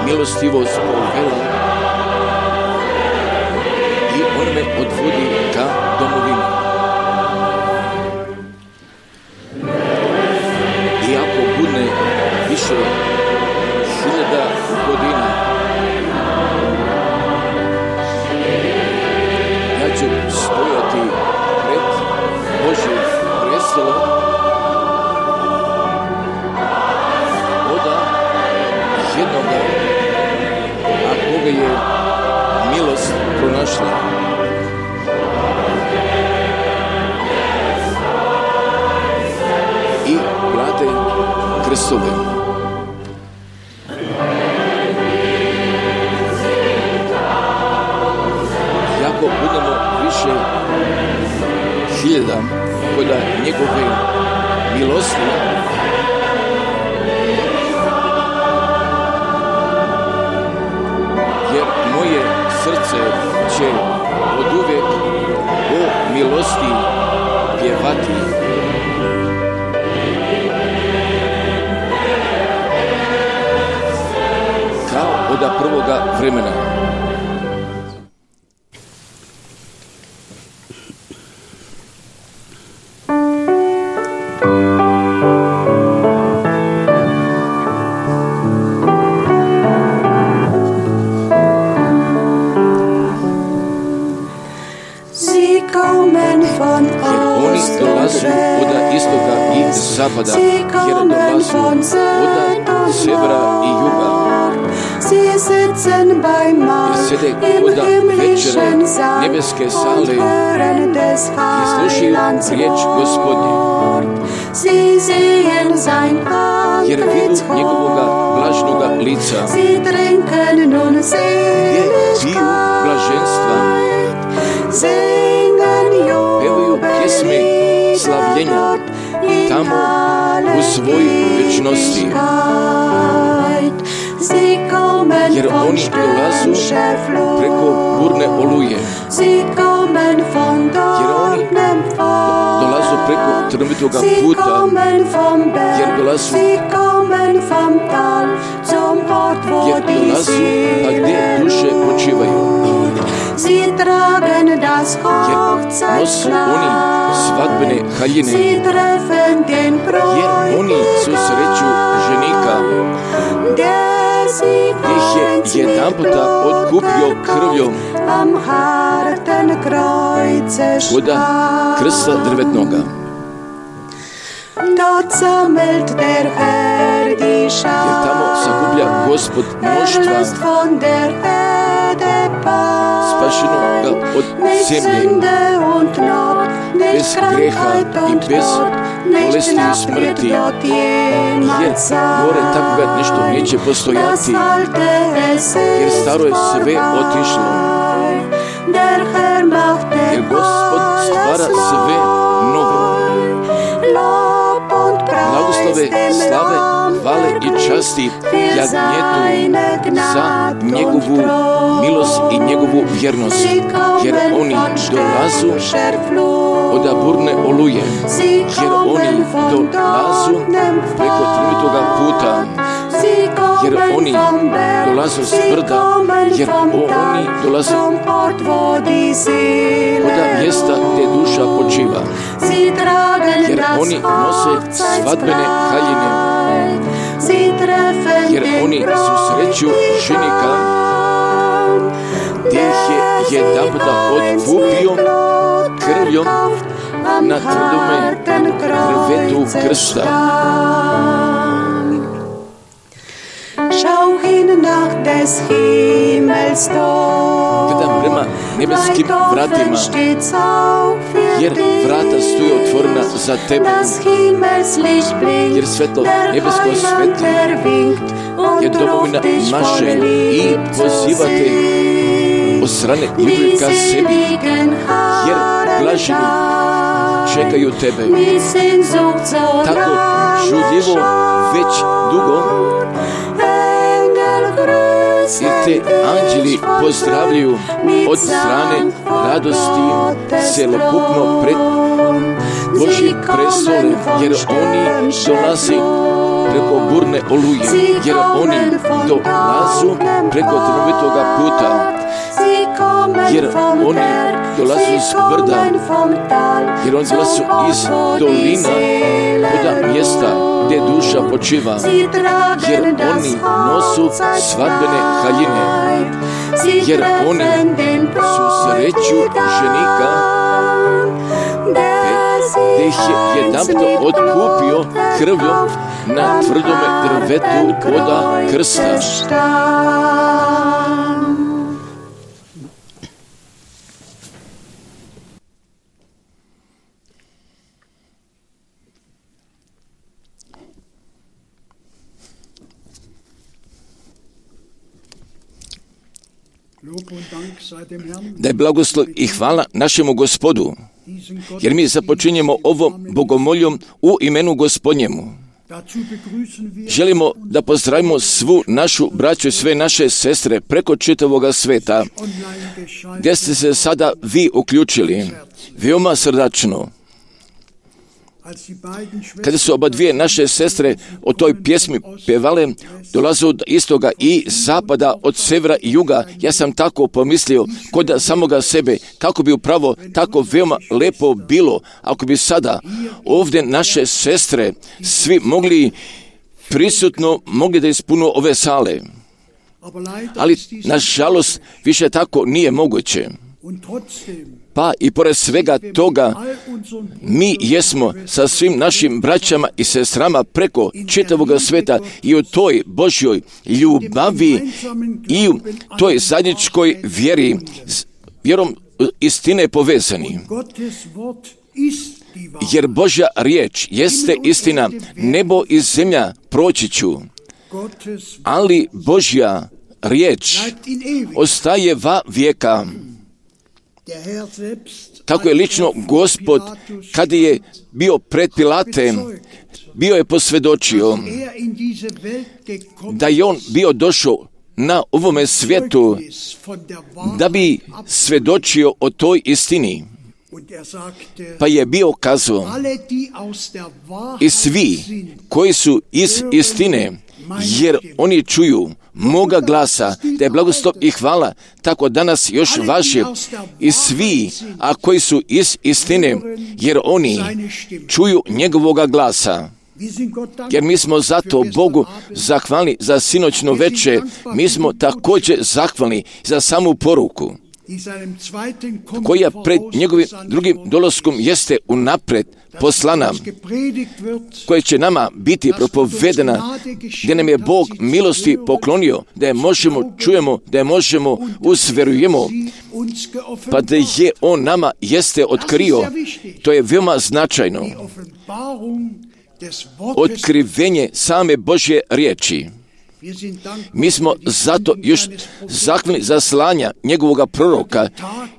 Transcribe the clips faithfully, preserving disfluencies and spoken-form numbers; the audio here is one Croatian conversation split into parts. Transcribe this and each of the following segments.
milostivost povela i on me odvodi ka domovini. Iako bude više hiljada godina, ja ću stojati pred Božjim prestolom došla. I plate krstove. Jako budemo više hiljada koda njegove milosti, jer moje srce će oduvek o milosti pjevati. Kao od prvoga vremena. Zapada, jer dolazu od severa i juga. I sede koda večere nebeske sale i slušaju riječ Gospodnje. Jer vidu njegovoga blažnoga lica, gdje piju blaženstva, pevaju pjesme slavljenja tamo u svojoj večnosti. Jer oni dolazu preko burne oluje. Jer oni dolazu preko trnovitoga puta. Jer dolazu Jer dolazu a gdje duše počivaju. Jer nosu oni svadbene haljine. Jer oni susreću ženika, gdje ih je jedan puta otkupio krvljom koda krsta drvetnoga. Jer tamo sakuplja Gospod mnoštva spašenoga od zemlje, bez greha i bez bolesti i smrti, jer gore takvoga nešto neće postojati, jer staro je sve otišlo, jer Gospod stvara sve novo. Blagoslove, slave, hvale i časti jagnjetu za njegovu milost i njegovu vjernost, jer oni dolazu od burne oluje, jer oni dolazu preko trnovitoga puta, jer oni dolazu s brda, jer oni dolazu od mjesta gdje duša počiva, jer oni nose svadbene haljine, jer oni susreću ženika, gdje ih je jedan puta otkupio krvljom na tvrdome drvetu krsta. Gledam prema nebeskim vratima, jer vrata stoje otvorena za tebe, jer svetlo nebesko svetli je domovina maše i pozivate od strane ljubavi ka sebi, jer blaženi čekaju tebe. Tako žudljivo već dugo, jer te anđeli pozdravljaju od strane radosti celokupno pred Božji prestole, jer oni dolaze preko burne oluje, jer oni dolazu preko trnovitoga puta, jer oni dolazu s brda, jer oni dolazu iz dolina od mjesta gdje duša počiva, jer oni nosu svadbene haljine, jer oni susreću ženika, gdje ih je jedanput otkupio krvljom na tvrdome drvetu od krsta. Da je blagoslov i hvala našemu Gospodu, jer mi započinjemo ovom bogomoljom u imenu Gospodnjemu. Želimo da pozdravimo svu našu braću i sve naše sestre preko čitavoga sveta, gdje ste se sada vi uključili, veoma srdačno. Kada su oba dvije naše sestre o toj pjesmi pjevale, dolaze od istoga i zapada, od severa i juga, ja sam tako pomislio, kod da samoga sebe, kako bi upravo tako veoma lepo bilo, ako bi sada ovdje naše sestre svi mogli prisutno, mogli da ispunu ove sale. Ali, nažalost, više tako nije moguće. Pa i pored svega toga, mi jesmo sa svim našim braćama i sestrama preko čitavoga sveta i u toj Božjoj ljubavi i u toj zajedničkoj vjeri, vjerom istine povezani. Jer Božja riječ jeste istina, nebo i zemlja proći ću, ali Božja riječ ostaje va vijeka. Tako je lično Gospod, kada je bio pred Pilatem, bio je posvjedočio da je on bio došao na ovome svijetu da bi svjedočio o toj istini. Pa je bio kazao, i svi koji su iz istine, jer oni čuju moga glasa, da je blagoslov i hvala, tako danas još vaše, i svi, a koji su iz istine, jer oni čuju njegovoga glasa. Jer mi smo zato Bogu zahvalni za sinoćno večer, mi smo također zahvalni za samu poruku, koja pred njegovim drugim dolaskom jeste unaprijed poslana, koja će nama biti propovedena, gdje nam je Bog milosti poklonio, da je možemo, čujemo, da je možemo, usverujemo, pa da je on nama jeste otkrio. To je veoma značajno. Otkrivenje same Božje riječi. Mi smo zato još zahvalni za slanja njegovoga proroka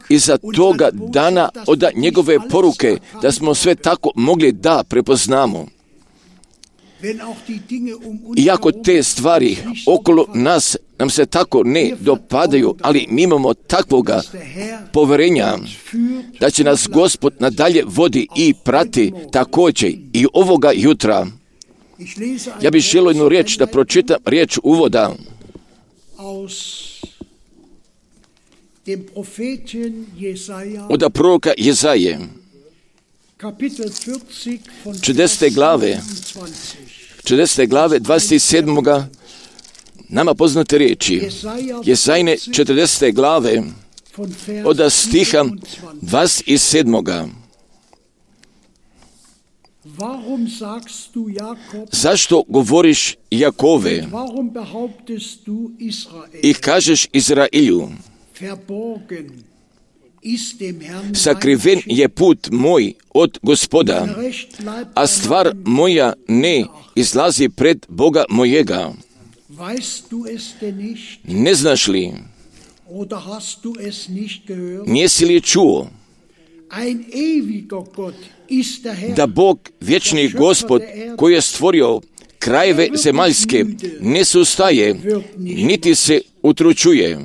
i za toga dana od njegove poruke, da smo sve tako mogli da prepoznamo. Iako te stvari okolo nas nam se tako ne dopadaju, ali mi imamo takvoga poverenja da će nas Gospod nadalje vodi i prati također i ovoga jutra. Ja bih želio jednu riječ da pročitam, riječ uvoda od proroka Jezaje, četrdesete glave, četrdesete glave, dvadeset sedam. nama poznate riječi. Jesajine četrdesete glave, od stiha dvadeset sedam. Zašto govoriš Jakove i kažeš Izrailju, sakriven je put moj od Gospoda, a stvar moja ne izlazi pred Boga mojega. Ne znaš li, nisi li čuo da Bog, vječni Gospod, koji je stvorio krajeve zemaljske, ne sustaje, niti se utručuje.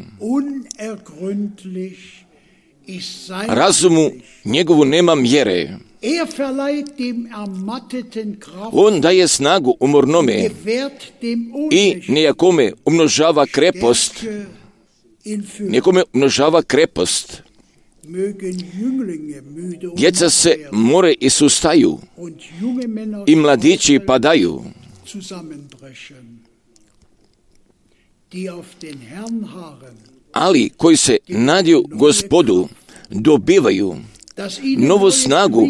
Razumu njegovu nema mjere. On daje snagu umornome i nijakome umnožava krepost. Nekome umnožava krepost. Djeca se more i sustaju i mladići padaju. Ali koji se nadju Gospodu dobivaju novu snagu,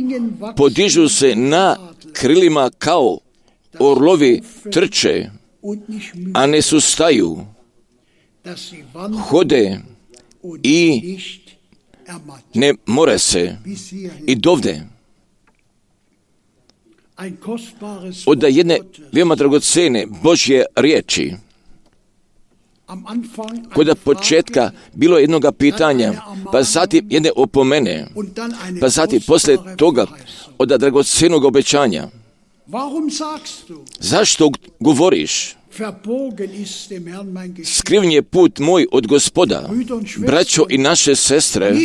podižu se na krilima kao orlovi, trče, a ne sustaju, hode i ne more se. I dovde od jedne veoma dragocene Božje riječi. Kod početka bilo je jednoga pitanja, pa zatim jedne opomene, pa zatim poslije toga od dragocjenog obećanja. Zašto govoriš? Skriven je put moj od Gospoda, braćo i naše sestre,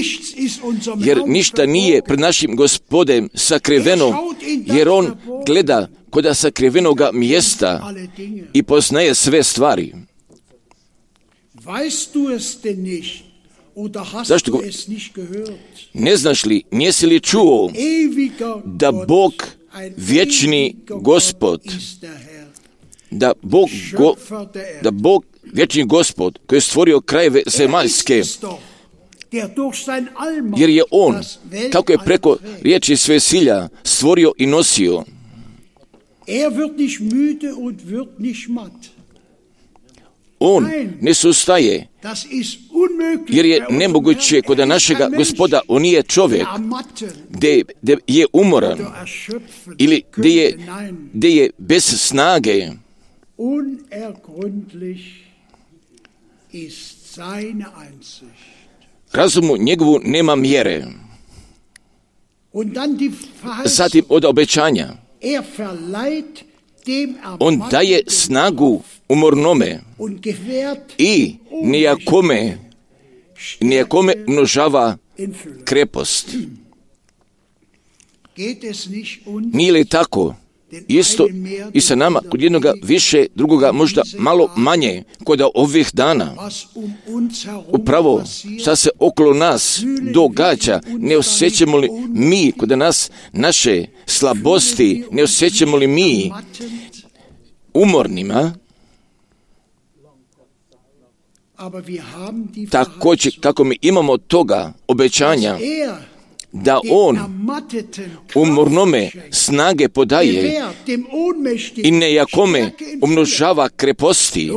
jer ništa nije pred našim Gospodem sakriveno, jer on gleda kod sakrivenoga mjesta i poznaje sve stvari. Zašto go... Ne znaš li, nisi li čuo da Bog, vječni Gospod, da Bog, go, da Bog, vječni Gospod, koji je stvorio krajeve zemaljske, jer je On, kako je preko riječi svesilja stvorio i nosio. On ne sustaje, jer je nemoguće kod našega Gospoda, on nije čovjek, gdje je umoran ili gdje je, gdje je bez snage. Razumu njegovu nema mjere. Zatim od obećanja. On daje snagu umornome i nijakome, nijakome množava krepost. Nije li tako? Isto i sa nama, kod jednoga više, drugoga možda malo manje, kod ovih dana. Upravo, šta se okolo nas događa, ne osjećamo li mi, kod nas naše slabosti, ne osjećamo li mi umornima, također kako mi imamo toga obećanja, da On umornome snage podaje i nejakome umnožava kreposti,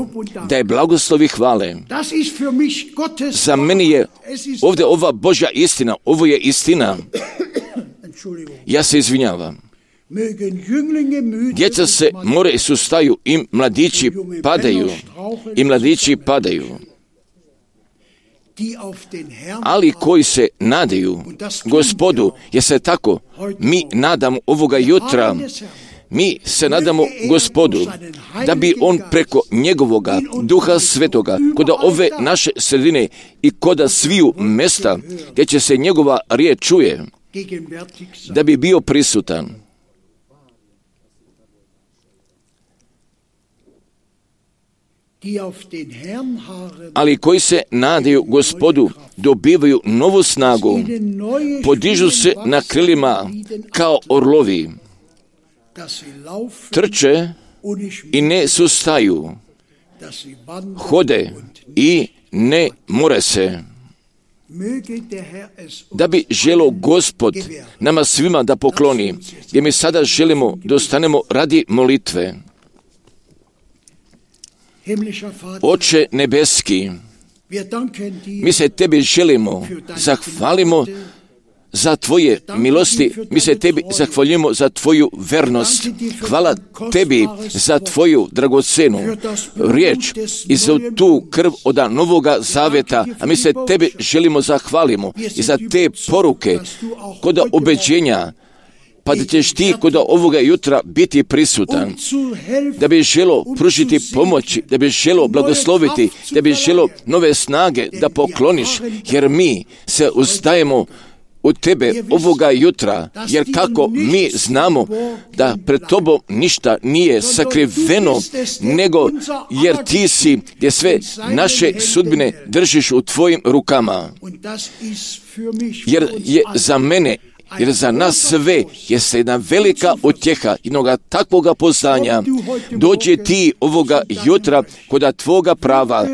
da je blagoslovi hvale. Za meni je ovdje ova Božja istina, ovo je istina. Ja se izvinjavam. Djeca se more i sustaju i mladići padaju, i mladići padaju. Ali koji se nadaju Gospodu, jer se tako mi nadamo ovoga jutra, mi se nadamo Gospodu, da bi On preko njegovoga Duha Svetoga, kod ove naše sredine i kod sviju mesta, gdje će se njegova riječ čuje, da bi bio prisutan. Ali koji se nadaju Gospodu, dobivaju novu snagu, podižu se na krilima kao orlovi, trče i ne sustaju, hode i ne more se. Da bi želio Gospod nama svima da pokloni, gdje mi sada želimo da ostanemo radi molitve. Oče nebeski, mi se Tebi želimo, zahvalimo za Tvoje milosti, mi se Tebi zahvaljujemo za Tvoju vernost. Hvala Tebi za Tvoju dragocenu riječ i za tu krv od novoga zavjeta, a mi se Tebi želimo zahvalimo i za te poruke kod obećenja, pa da ćeš ti kod ovoga jutra biti prisutan, da bi želo pružiti pomoći, da bi želo blagosloviti, da bi želo nove snage da pokloniš, jer mi se ustajemo u Tebe ovoga jutra, jer kako mi znamo da pred Tobom ništa nije sakriveno, nego jer Ti si gdje sve naše sudbine držiš u Tvojim rukama. Jer je za mene, jer za nas sve jeste jedna velika utjeha jednoga takvoga poznanja. Dođe Ti ovoga jutra kod Tvoga prava,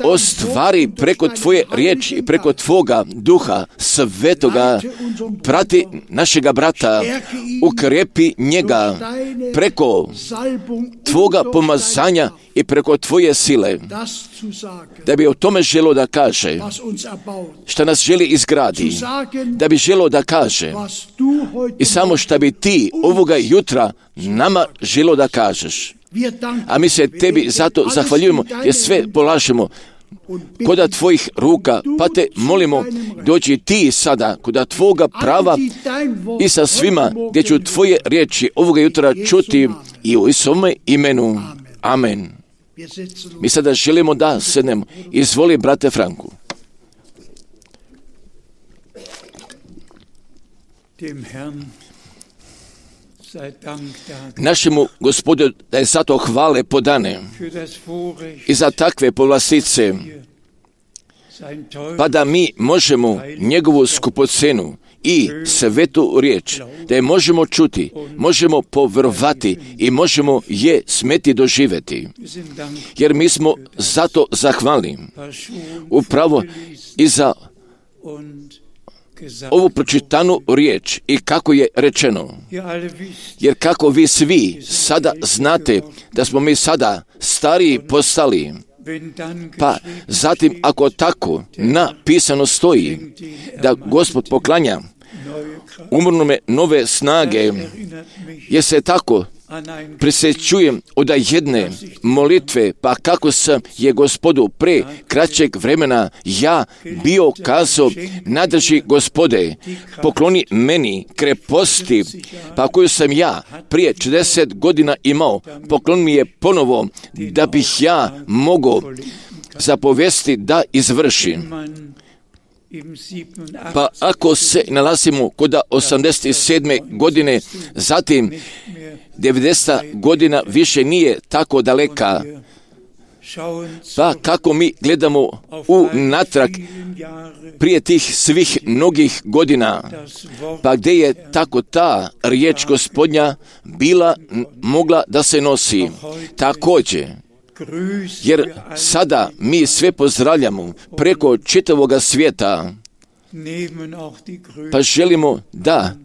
ostvari preko Tvoje riječi i preko Tvoga Duha Svetoga, prati našega brata, ukrepi njega preko Tvoga pomazanja i preko Tvoje sile, da bi o tome želo da kaže, šta nas želi izgradi, da bi želo da kaže i samo šta bi Ti ovoga jutra nama želo da kažeš. A mi se tebi zato zahvaljujemo jer sve polažemo koda tvojih ruka, pa te molimo, dođi ti sada koda tvoga prava i sa svima gdje ću tvoje riječi ovoga jutra čuti i u Isovome imenu. Amen. Mi sada želimo da sednemo. Izvoli, brate Franku. Našemu Gospodu da je zato hvale podane i za takve povlastice, pa da mi možemo njegovu skupocenu i svetu riječ, da je možemo čuti, možemo povjerovati i možemo je smeti doživjeti. Jer mi smo zato zahvalni upravo i za ovu pročitanu riječ i kako je rečeno. Jer kako vi svi sada znate da smo mi sada stariji postali, pa zatim ako tako napisano stoji da Gospod poklanja umrnome nove snage, jer se tako prisjećujem od jedne molitve, pa kako sam je Gospodu pre kraćeg vremena ja bio kazao, nadrži Gospode, pokloni meni kreposti, pa koju sam ja prije četrdeset godina imao, pokloni mi je ponovo, da bih ja mogao zapovesti da izvršim. Pa ako se nalazimo kod osamdeset sedme godine, zatim devedeseta godina više nije tako daleka, pa kako mi gledamo u natrag prije tih svih mnogih godina, pa gdje je tako ta riječ Gospodnja bila mogla da se nosi. Također, jer sada mi sve pozdravljamo preko čitavoga svijeta, pa želimo da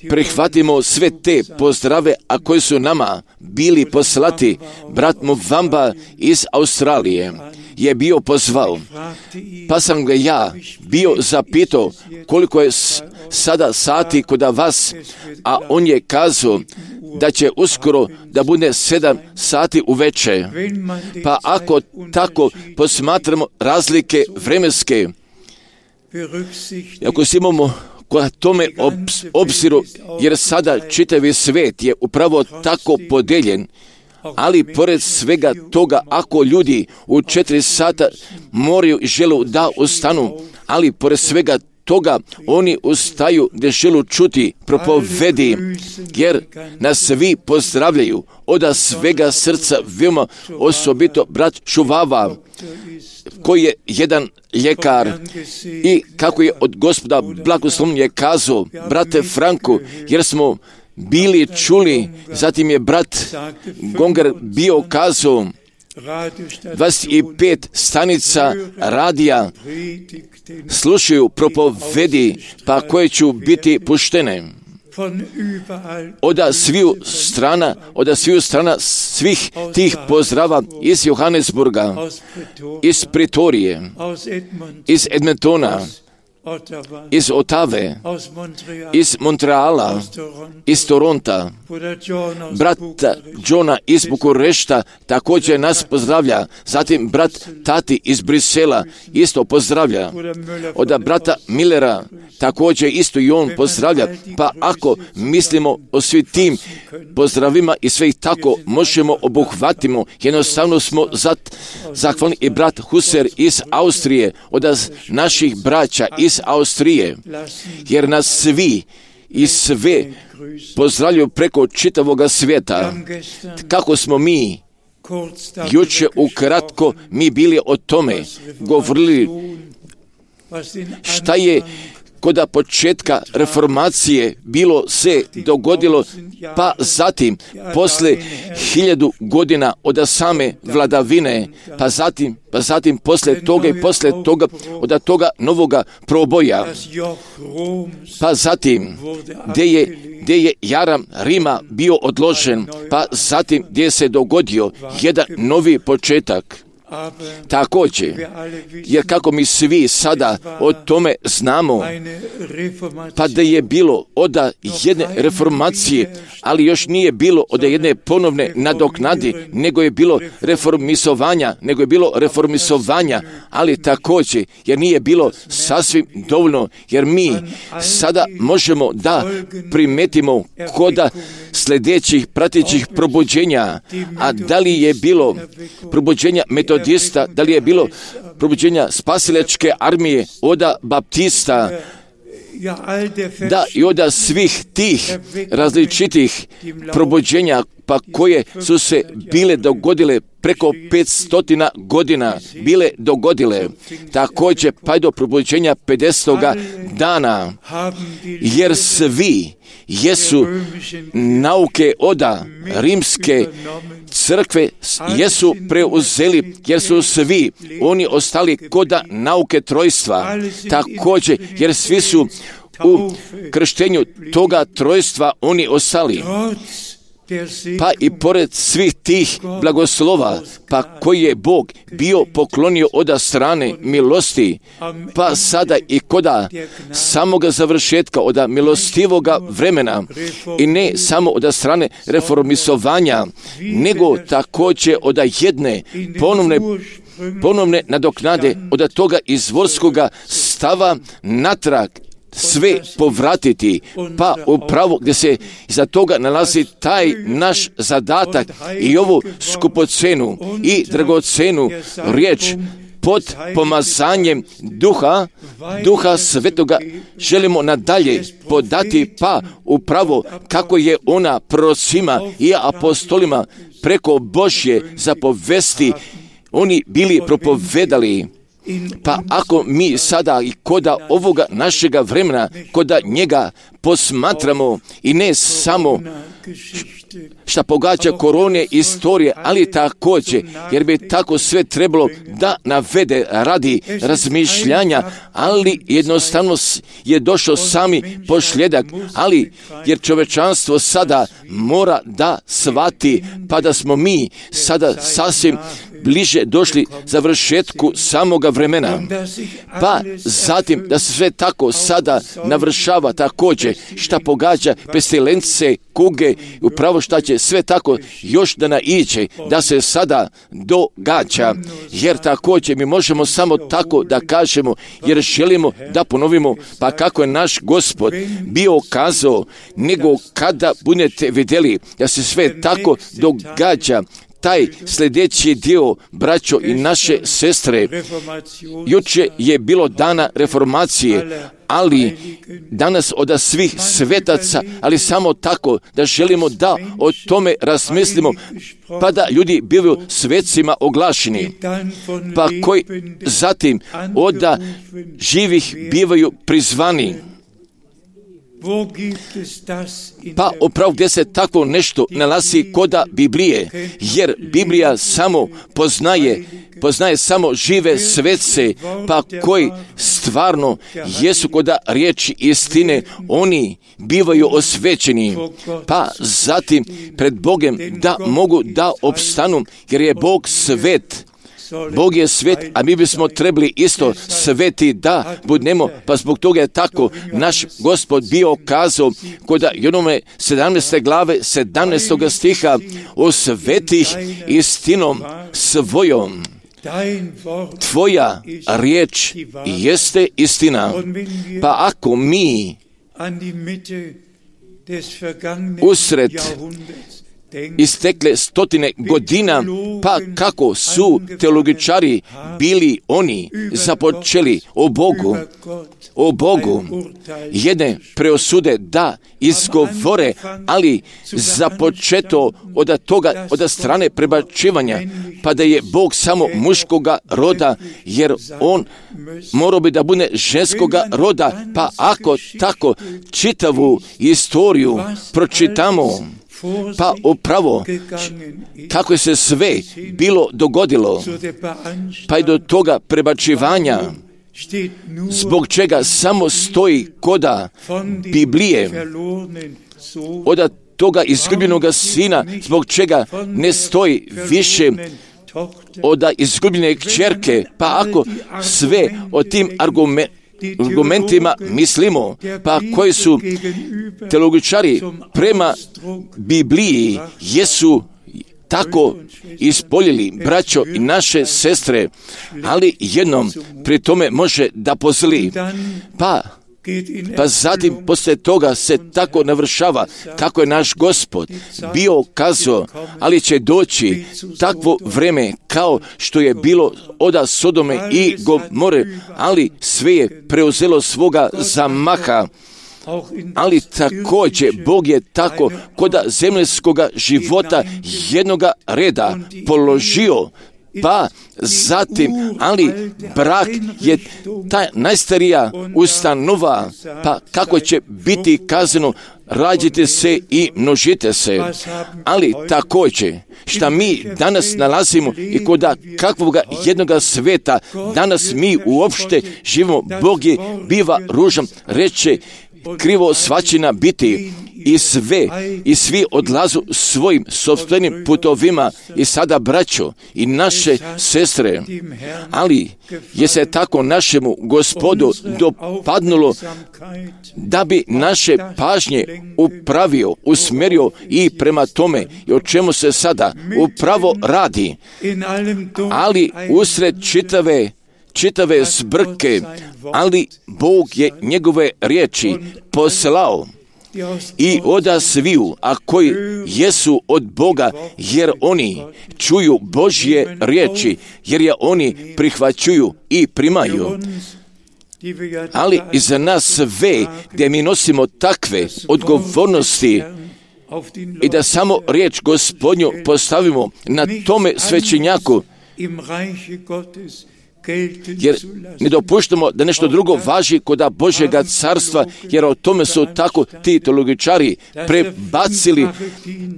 prihvatimo sve te pozdrave, a koji su nama bili poslati. Brat Muvamba iz Australije je bio pozvao, pa sam ga ja bio zapitao koliko je sada sati kod vas, a on je kazao da će uskoro da bude sedam sati uveče. Pa ako tako posmatramo razlike vremenske, ako si imamo koja tome obziru, jer sada čitavi svijet je upravo tako podeljen, ali pored svega toga, ako ljudi u četiri sata moraju i želu da ustanu, ali pored svega toga oni ustaju gdje želu čuti propovedi, jer nas svi pozdravljaju od svega srca, veoma osobito brat Šuvava, koji je jedan ljekar i kako je od Gospoda blagoslovljen je kazao, brate Franku, jer smo bili čuli, zatim je brat Gonger bio kazao, dvadeset pet stanica radija slušaju propovedi, pa koje ću biti puštene. Od sviju strana, od sviju strana svih tih pozdrava iz Johannesburga, iz Pretorije, iz Edmontona, iz Otave, iz Montreala, iz Toronta, brata Johna iz Bukurešta također nas pozdravlja, zatim brat Tati iz Brisela isto pozdravlja, od brata Millera također isto i on pozdravlja, pa ako mislimo o svim tim pozdravima i sve ih tako možemo obuhvatimo, jednostavno smo zat, zahvalni i brat Huser iz Austrije, od naših braća iz Austrije, jer nas svi i sve pozdravljaju preko čitavoga svijeta. Kako smo mi juče ukratko mi bili o tome govorili šta je kod početka reformacije bilo se dogodilo, pa zatim posle hiljadu godina od same vladavine, pa zatim, pa zatim posle toga i posle toga od toga novoga proboja, pa zatim gdje je, gdje je jaram Rima bio odložen, pa zatim gdje se dogodio jedan novi početak. Također, jer kako mi svi sada o tome znamo, pa da je bilo od jedne reformacije, ali još nije bilo od jedne ponovne nadoknadi, nego je bilo reformisovanja, nego je bilo reformisovanja, ali također, jer nije bilo sasvim dovoljno, jer mi sada možemo da primetimo koda sljedećih pratećih probuđenja, a da li je bilo probuđenja metodista, da li je bilo probuđenja spasilačke armije, od baptista, da i od svih tih različitih probuđenja, pa koje su se bile dogodile preko petstotina godina, bile dogodile. Također pa do probuđenja pedesetoga dana, jer svi jesu nauke od rimske crkve jesu preuzeli, jer su svi oni ostali kod nauke trojstva. Također, jer svi su u krštenju toga trojstva oni ostali. Pa i pored svih tih blagoslova, pa koji je Bog bio poklonio od strane milosti, pa sada i koda samoga završetka, od milostivoga vremena, i ne samo od strane reformisovanja, nego također od jedne ponovne ponovne nadoknade, od toga izvorskoga stava natrag sve povratiti, pa upravo gdje se iza toga nalazi taj naš zadatak i ovu skupocenu i dragocenu riječ pod pomazanjem duha, duha svetoga želimo nadalje podati, pa upravo kako je ona prorocima i apostolima preko Božje zapovesti oni bili propovedali. Pa ako mi sada i koda ovoga našega vremena, koda njega posmatramo i ne samo šta pogađa korone istorije, ali također, jer bi tako sve trebalo da navede radi razmišljanja, ali jednostavno je došao sami pošljedak, ali jer čovečanstvo sada mora da shvati, pa da smo mi sada sasvim bliže došli završetku samoga vremena. Pa zatim da se sve tako sada navršava također šta pogađa pestilence, kuge, upravo šta će sve tako još da naiđe, da se sada događa. Jer također mi možemo samo tako da kažemo, jer želimo da ponovimo, pa kako je naš Gospod bio kazao, nego kada budete vidjeli da se sve tako događa, taj sljedeći dio, braćo i naše sestre, juče je bilo dana reformacije, ali danas od svih svetaca, ali samo tako da želimo da o tome razmislimo, pa da ljudi bivaju svecima oglašeni, pa koji zatim od živih bivaju prizvani. Pa upravo gdje se tako nešto nalazi koda Biblije, jer Biblija samo poznaje, poznaje samo žive svece, pa koji stvarno jesu koda riječi istine, oni bivaju osvećeni, pa zatim pred Bogom da mogu da opstanu, jer je Bog svet. Bog je svet, a mi bismo trebali isto sveti da budemo, pa zbog toga je tako naš Gospod bio kazao kod onome sedamnaeste glave sedamnaestog stiha, osvetih istinom svojom. Tvoja riječ jeste istina. Pa ako mi usred istekle stotine godina, pa kako su teologičari bili oni započeli o Bogu, o Bogu jedne preosude da izgovore, ali započeto od toga, od strane prebačivanja, pa da je Bog samo muškoga roda, jer on morao bi da bude ženskoga roda, pa ako tako čitavu istoriju pročitamo, pa upravo kako je se sve bilo dogodilo, pa i do toga prebačivanja, zbog čega samo stoji koda Biblije, od toga izgubljenoga sina, zbog čega ne stoji više od izgubljene kćerke, pa ako sve o tim argumentima argumentima mislimo, pa koji su teologičari prema Bibliji jesu tako ispoljili, braćo i naše sestre, ali jednom pri tome može da pozli. Pa Pa zatim poslije toga se tako navršava kako je naš Gospod bio kazao, ali će doći takvo vreme kao što je bilo oda Sodome i Gomore, ali sve je preuzelo svoga zamaha. Ali također Bog je tako kod zemaljskoga života jednoga reda položio. Pa zatim, ali brak je ta najstarija ustanova, pa kako će biti kazano, rađite se i množite se. Ali također, šta mi danas nalazimo i kod kakvoga jednoga sveta, danas mi uopšte živimo, Bog je biva ružan, reče, krivo svačina biti i sve, i svi odlazu svojim sopstvenim putovima i sada braćo i naše sestre, ali je se tako našemu Gospodu dopadnulo da bi naše pažnje upravio, usmjerio i prema tome i o čemu se sada upravo radi, ali usred čitave čitave zbrke, ali Bog je njegove riječi poslao i oda sviju, a koji jesu od Boga, jer oni čuju Božje riječi, jer je oni prihvaćuju i primaju. Ali i za nas sve, gdje mi nosimo takve odgovornosti i da samo riječ Gospodnju postavimo na tome svećenjaku, jer ne dopuštamo da nešto drugo važi kod Božjega carstva, jer o tome su tako ti teologičari prebacili,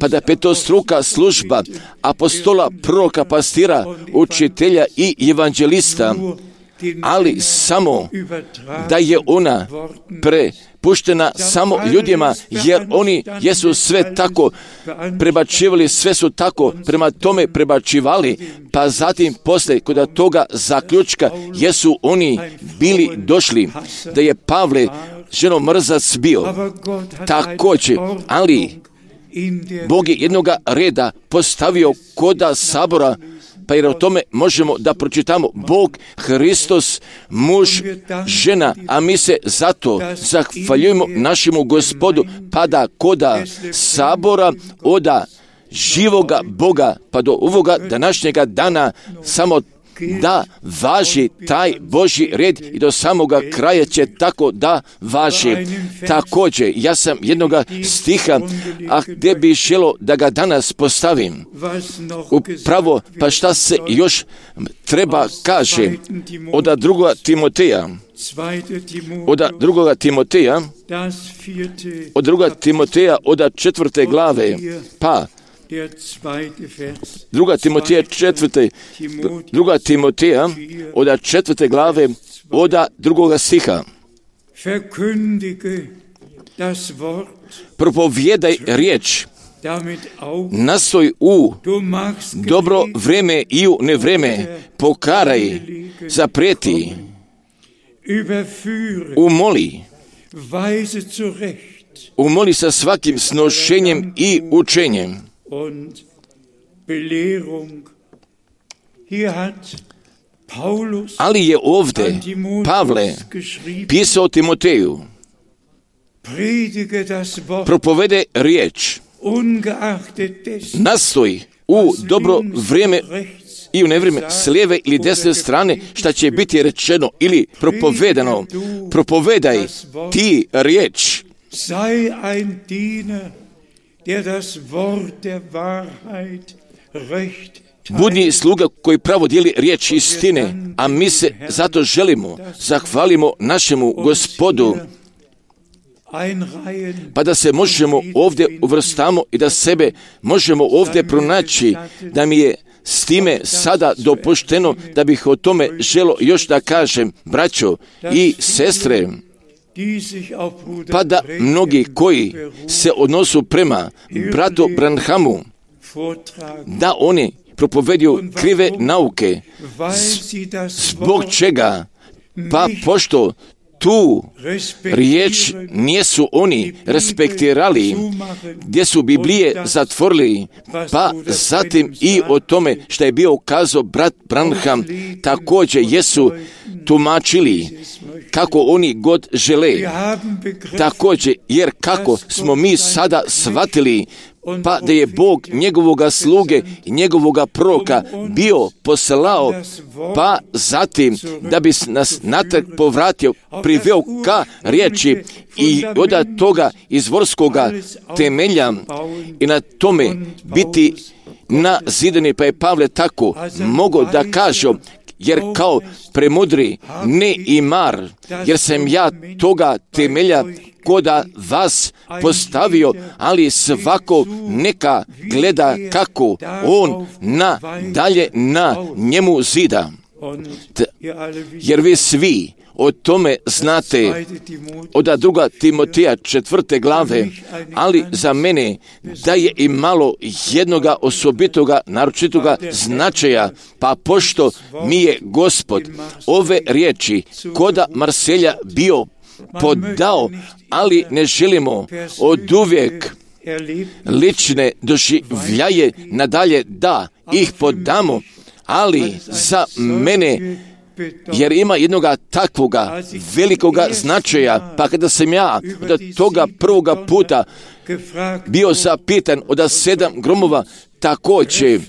pa da petostruka služba apostola, proroka, pastira, učitelja i evanđelista, ali samo da je ona prepuštena samo ljudima, jer oni jesu sve tako prebačivali, sve su tako prema tome prebačivali, pa zatim poslije kod toga zaključka jesu oni bili došli da je Pavle ženomrzac bio također, ali Bog je jednoga reda postavio koda sabora, pa jer o tome možemo da pročitamo Bog, Hristos, muž, žena, a mi se zato zahvaljujemo našemu Gospodu, pa da koda sabora oda živoga Boga, pa do ovoga današnjega dana samo da važi taj Božji red i do samoga kraja će tako da važi. Također, ja sam jednoga stiha, a gdje bi želo da ga danas postavim. Upravo, pa šta se još treba kaže od drugoga Timoteja, od drugoga Timoteja, od drugoga Timoteja, od četvrte glave, pa Druga Timoteja četvrte, druga Timoteja od četvrte glave od drugoga stiha. Propovijedaj riječ, nastoj u dobro vreme i u nevreme, pokaraj, zaprijeti, umoli, umoli sa svakim snošenjem i učenjem. Und Belehrung. Hier hat Paulus, ali je ovdje Pavle pisao Timoteju, propovede riječ, nastoj u dobro vrijeme i u nevrijeme, s lijeve ili desne strane, šta će biti rečeno ili propovedano, propovedaj ti riječ. Sei ein Diener, der das Wort der Wahrheit recht. Budi sluga koji pravo dijeli riječ istine, a mi se zato želimo, zahvalimo našemu Gospodu, pa da se možemo ovdje uvrstamo i da sebe možemo ovdje pronaći, da mi je s time sada dopušteno da bih o tome želo još da kažem, braćo i sestre, pa da mnogi koji se odnosu prema bratu Branhamu, da oni propovedio krive nauke. Zbog čega? Pa pošto tu riječ nijesu oni respektirali, gdje su Biblije zatvorili, pa zatim i o tome što je bio kazao brat Branham, također jesu tumačili kako oni god žele. Također, jer kako smo mi sada shvatili, pa da je Bog njegovoga sluge i njegovoga proroka bio poslao, pa zatim da bi nas natrag povratio, priveo ka riječi i od toga izvorskoga temelja i na tome biti nazidani, pa je Pavle tako mogao da kaže, jer kao premudri ne i mar, jer sam ja toga temelja koda vas postavio, ali svako neka gleda kako on na dalje na njemu zida. T- jer vi svi o tome znate od druga Timoteja četvrte glave, ali za mene da je i malo jednoga osobitoga, naročitoga značaja, pa pošto mi je Gospod ove riječi koda Marselja bio podao, ali ne želimo od uvijek lične doživljaje nadalje da ih podamo, ali za mene, jer ima jednoga takvoga velikoga značaja, pa kada sam ja od toga prvoga puta bio zapitan od sedam gromova, također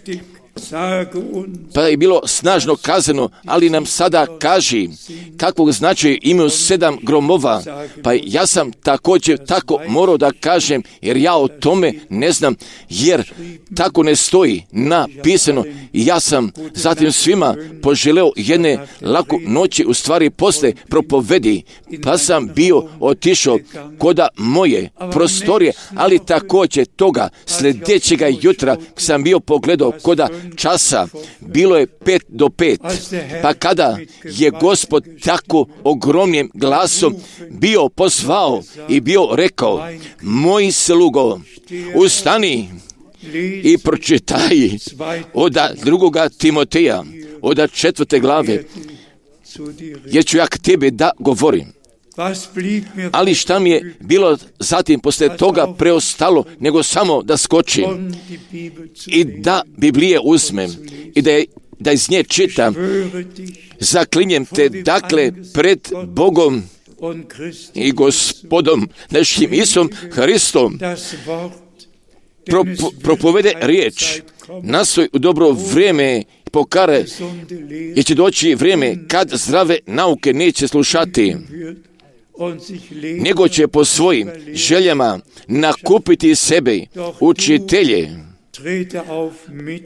pa je bilo snažno kazano, ali nam sada kaži kakvog značaja imaju sedam gromova. Pa ja sam također tako morao da kažem, jer ja o tome ne znam, jer tako ne stoji napisano. I ja sam zatim svima poželeo jedne laku noći, u stvari posle propovedi, pa sam bio otišao koda moje prostorije, ali također toga sljedećega jutra sam bio pogledao koda časa, bilo je pet do pet, pa kada je Gospod tako ogromnim glasom bio pozvao i bio rekao, moj slugo, ustani i pročitaj od drugoga Timoteja, od četvrte glave, jer ću ja k tebi da govorim. Ali šta mi je bilo zatim poslije toga preostalo, nego samo da skočim i da Biblije uzmem i da, je, da iz nje čitam. Zaklinjem te dakle pred Bogom i Gospodom našim Isusom Hristom, Propo, propovede riječ, nastoj u dobro vrijeme pokare, jer će doći vrijeme kad zdrave nauke neće slušati, nego će po svojim željama nakupiti sebe učitelje.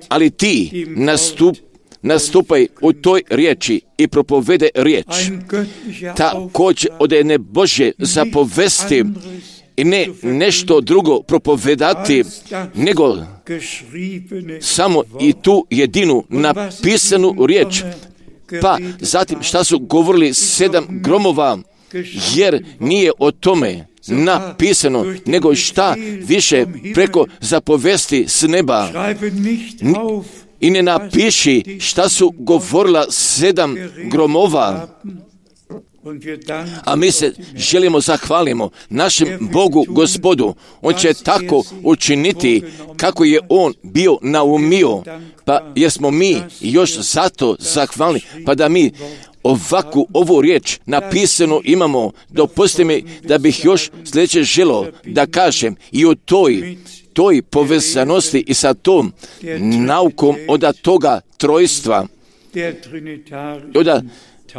Ali ti nastup, nastupaj u toj riječi i propovede riječ. Također od jedne Božje zapovesti i ne nešto drugo propovedati, nego samo i tu jedinu napisanu riječ. Pa zatim šta su govorili sedam gromova, jer nije o tome napisano, nego šta više preko zapovesti s neba. I ne napiši šta su govorila sedam gromova. A mi se želimo zahvalimo našem Bogu Gospodu. On će tako učiniti kako je On bio naumio, pa jesmo mi još zato zahvalni, pa da mi ovakvu ovu riječ napisano imamo. Dopustite mi da bih još sljedeće želio da kažem i o toj toj povezanosti i sa tom naukom od toga trojstva, od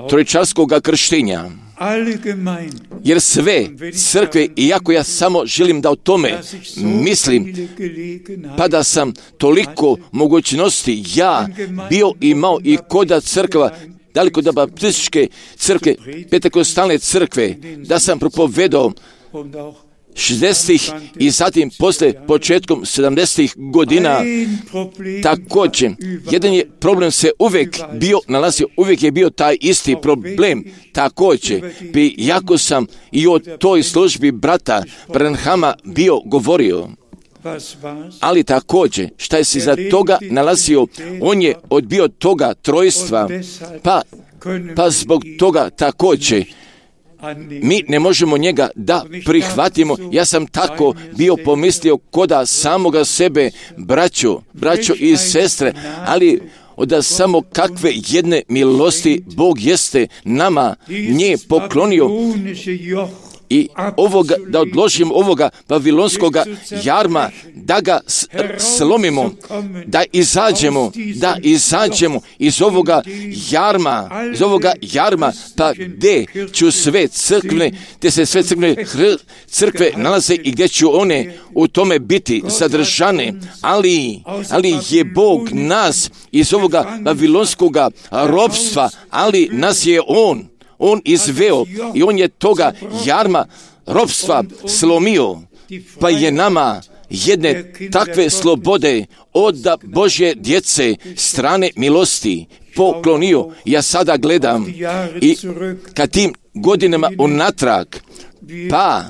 trojčarskog krštenja. Jer sve crkve, iako ja samo želim da o tome mislim, pa da sam toliko mogućnosti ja bio imao i koda crkva, daleko da baptističke crkve, pentekostalne crkve, da sam propovedao šezdesetih i zatim posle početkom sedamdesetih godina. Također, jedan je problem se uvijek bio nalazio, uvijek je bio taj isti problem. Također, bi jako sam i o toj službi brata Branhama bio govorio. Ali također, šta je se za toga nalazio, on je odbio toga trojstva, pa, pa zbog toga također mi ne možemo njega da prihvatimo. Ja sam tako bio pomislio koda samoga sebe, braćo, braćo i sestre, ali da samo kakve jedne milosti Bog jeste nama nje poklonio i ovoga, da odložimo ovoga babilonskoga jarma, da ga slomimo, da izađemo, da izađemo iz ovoga jarma, iz ovoga jarma, pa gdje ću sve crkve, gdje se sve crkve, crkve nalaze i gdje ću one u tome biti sadržane, ali, ali je Bog nas iz ovoga babilonskoga ropstva, ali nas je On, On izveo i On je toga jarma ropstva slomio, pa je nama jedne takve slobode od Božje djece strane milosti poklonio. Ja sada gledam i kad tim godinama unatrag, pa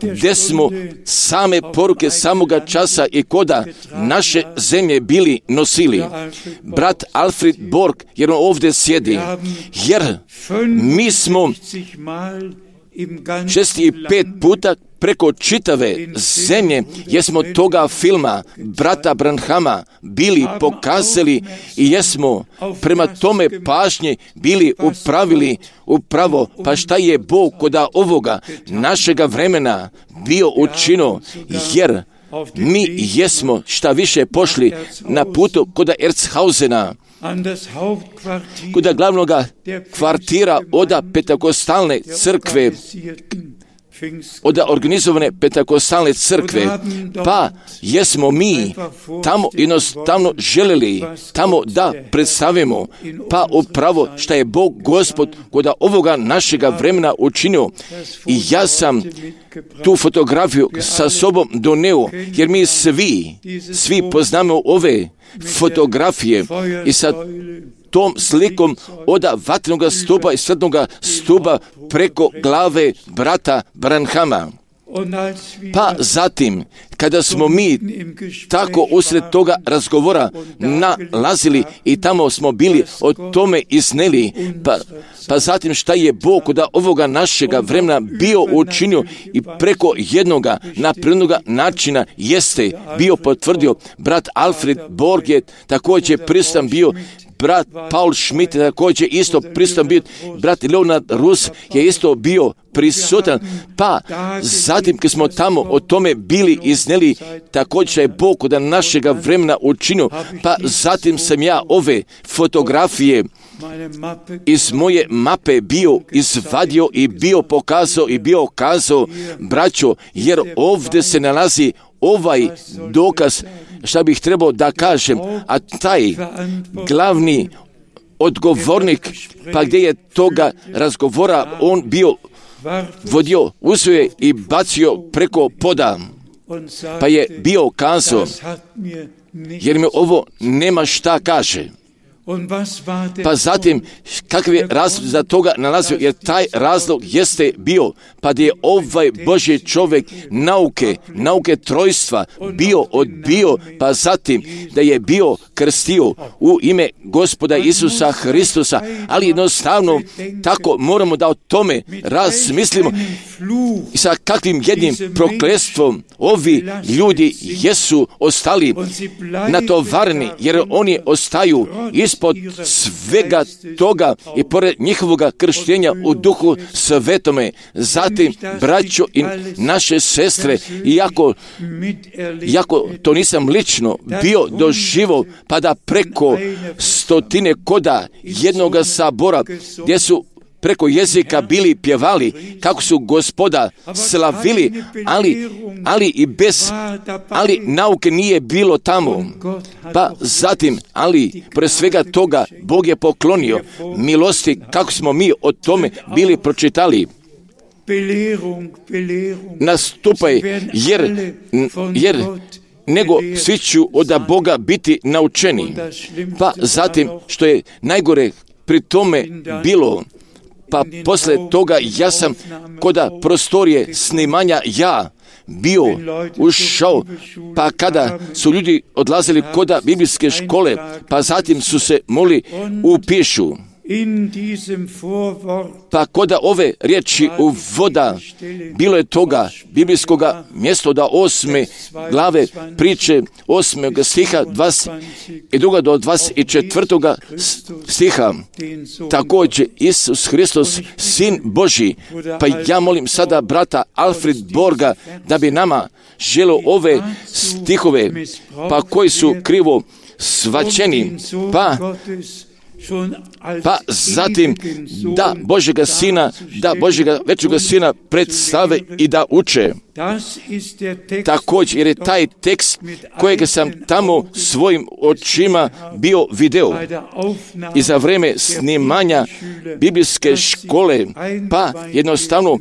gdje smo same poruke samoga časa i koda naše zemlje bili nosili. Brat Alfred Borg, jer on ovdje sjedi, jer mi smo šest i pet puta preko čitave zemlje, jesmo toga filma brata Branhama bili pokazali i jesmo prema tome pažnje bili upravili upravo, pa šta je Bog koda ovoga našega vremena bio učinio, jer mi jesmo šta više pošli na putu koda Erzhausena, koda glavnog kvartira oda Pentakostalne crkve, od organizovane Pentakostalne crkve, pa jesmo mi tamo jednostavno želeli tamo da predstavimo, pa upravo šta je Bog Gospod kod ovoga našega vremena učinio. I ja sam tu fotografiju sa sobom doneo, jer mi svi, svi poznamo ove fotografije i sa tom slikom od vatrenog stupa i svetnog stupa preko glave brata Branhama. Pa zatim, kada smo mi tako usred toga razgovora nalazili i tamo smo bili o tome izneli, pa, pa zatim šta je Bog od ovoga našega vremena bio učinio i preko jednoga naprednoga načina jeste bio potvrdio. Brat Alfred Borg je također prisutan bio, brat Paul Schmidt je također isto prisutan bio, brat Leonard Rus je isto bio prisutan, pa zatim kad smo tamo o tome bili izneli, također je Bog od našega vremena učinio, pa zatim sam ja ove fotografije iz moje mape bio izvadio i bio pokazao i bio kazao, braćo, jer ovdje se nalazi ovaj dokaz, šta bih trebao da kažem, a taj glavni odgovornik, pa gdje je toga razgovora on bio vodio, uzeo je i bacio preko poda, pa je bio kazao, jer mi ovo nema šta kaže. Pa zatim, kakav je razlog za toga nalazio, jer taj razlog jeste bio, pa da je ovaj Božji čovjek nauke, nauke trojstva bio odbio, pa zatim da je bio krstio u ime Gospoda Isusa Hristusa, ali jednostavno tako moramo da o tome razmislimo i sa kakvim jednim prokletstvom ovi ljudi jesu ostali natovareni, jer oni ostaju ispod svega toga i pored njihovoga krštenja u Duhu Svetome. Zatim, braćo i naše sestre, iako, iako to nisam lično bio doživo, pa da preko stotine koda jednoga sabora, gdje su preko jezika bili pjevali, kako su Gospoda slavili, ali, ali i bez, ali nauke nije bilo tamo. Pa zatim, ali pre svega toga, Bog je poklonio milosti, kako smo mi o tome bili pročitali. Nastupaj, jer, jer nego svi ću od Boga biti naučeni. Pa zatim, što je najgore pri tome bilo, pa posle toga ja sam koda prostorije snimanja ja bio ušao, pa kada su ljudi odlazili kod biblijske škole, pa zatim su se mogli upišu. Pa kod ove riječi u voda bilo je toga biblijskoga mjesto da osme glave priče osmog stiha dvadeset dva do dvadeset četvrtog stiha. Također Isus Hristos, Sin Božji. Pa ja molim sada brata Alfred Borga da bi nama želio ove stihove, pa koji su krivo svačeni, pa Pa zatim da Božjega Sina, da Božjega većega Sina predstave i da uče. Također, jer je taj tekst kojeg sam tamo svojim očima bio video i za vrijeme snimanja biblijske škole, pa jednostavno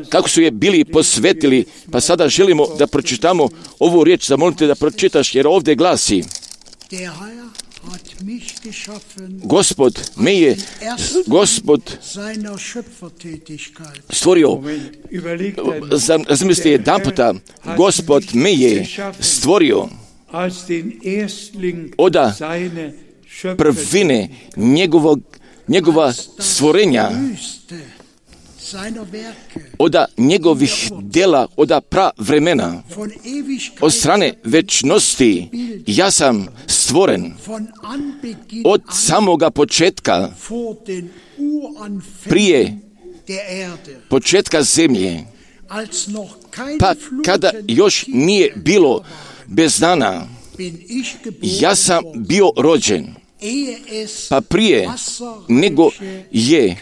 kako su je bili posvetili, pa sada želimo da pročitamo ovu riječ, zamolite da pročitaš, jer ovdje glasi: Gospod me je, Gospod stvorio, razmislite jedan puta, Gospod me je stvorio od prvine njegovog, njegova stvorenja, od njegovih djela, od pra vremena, od strane večnosti. Ja sam stvoren od samoga početka, prije početka zemlje, pa kada još nije bilo bez dana, ja sam bio rođen. Pa prije nego je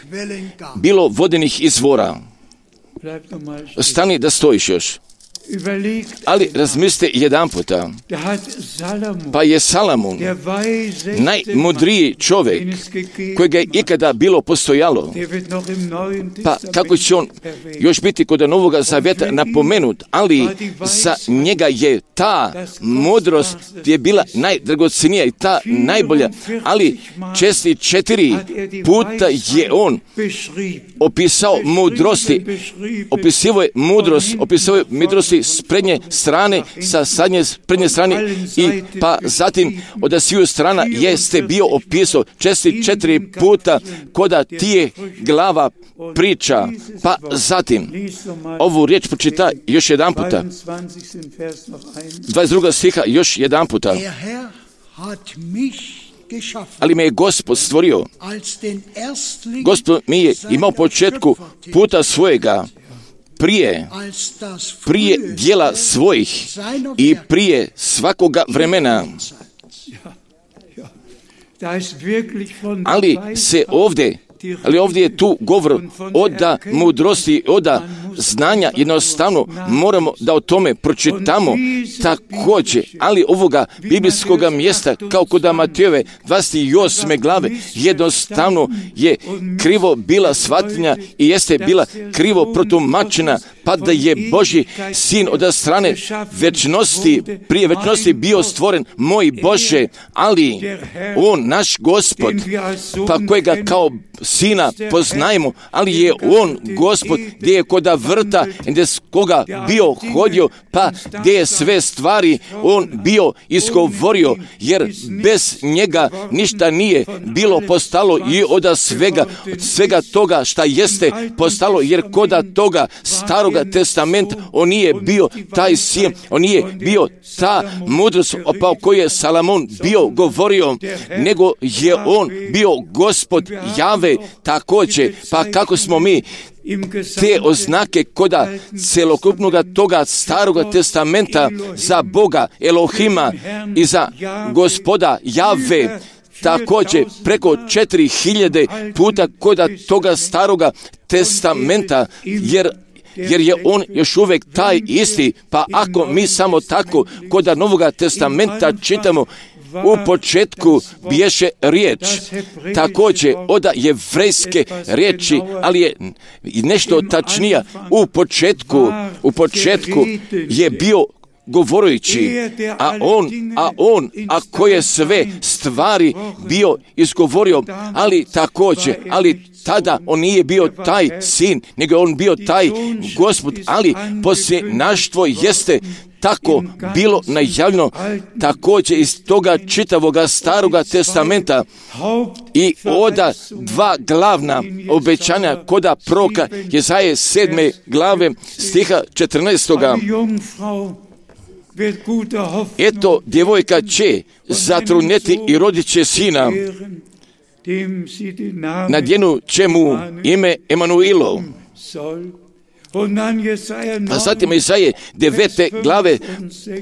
bilo vodenih izvora. Stani da stojiš još. Ali razmislite jedan puta, pa je Salamon najmudriji čovjek kojega je ikada bilo postojalo, pa kako će on još biti kod Novoga Zavjeta napomenut, ali za njega je ta mudrost je bila najdragocenija i ta najbolja, ali česti četiri puta je on opisao mudrosti, opisivao je mudrost, opisao je mudrosti s prednje strane, sa sadnje prednje strane i pa zatim od sviju strana jeste bio opisao česti četiri puta koda tije glava priča, pa zatim ovu riječ počita još jedan puta. dvadeset drugi stiha još jedan puta. Ali me je Gospod stvorio. Gospod mi je imao početku puta svojega, prije, prije dijela svojih i prije svakoga vremena. Ali se ovdje, ali ovdje je tu govor od mudrosti, od znanja, jednostavno moramo da o tome pročitamo također, ali ovoga biblijskog mjesta, kao kod Matejove dvadeset osme glave, jednostavno je krivo bila shvatljenja i jeste bila krivo protumačena, pa da je Božji Sin od strane večnosti, prije večnosti bio stvoren, moj Bože, ali on, naš Gospod, pa kojega kao Sina poznajemo, ali je on Gospod gdje je kod vrta, gdje s koga bio hodio, pa gdje je sve stvari on bio izgovorio, jer bez njega ništa nije bilo postalo i od svega, od svega toga šta jeste postalo, jer kod toga staroga testamenta on nije bio taj sin, on nije bio ta mudrost o kojoj je Salamon bio govorio, nego je on bio Gospod Jave također, pa kako smo mi te oznake koda celokupnog toga staroga testamenta za Boga Elohima i za Gospoda Jave, također preko četiri hiljade puta koda toga staroga testamenta, jer jer je on još uvijek taj isti, pa ako mi samo tako koda Novoga testamenta čitamo, u početku biješe riječ, također od jevrejske riječi, ali je nešto tačnija. U početku, u početku je bio govoreći, a on, a on, a koje sve stvari bio izgovorio, ali također, ali tada on nije bio taj sin, nego on bio taj Gospod, ali posljednaštvo jeste tako bilo najavljeno također iz toga čitavoga staroga testamenta i oda dva glavna obećanja koda proka Jezaje sedme glave stiha četrnaestoga. Eto, djevojka će zatrudnjeti i rodit će sina, nadjenu će mu ime Emanuilov. A zatim Jesaje devete glave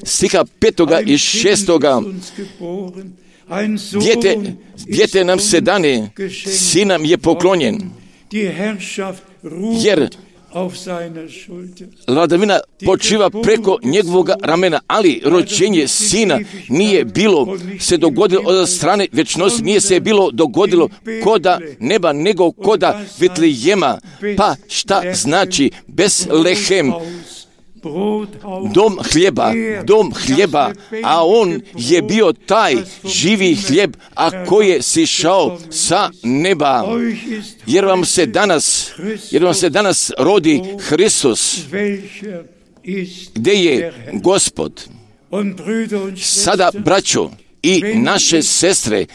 stiha petoga i šestoga. Dijete, dijete nam se dane, sin nam je poklonjen, jer vladavina počiva preko njegovog ramena, ali rođenje sina nije bilo se dogodilo od strane vječnosti, nije se bilo dogodilo koda neba, nego koda Vitlejema. Pa šta znači Betlehem? Dom hljeba, dom hljeba, a on je bio taj živi hljeb, a koji je sišao sa neba. Jer vam se danas, jer vam se danas rodi Hristos, gdje je Gospod. Sada, braćo i naše sestre,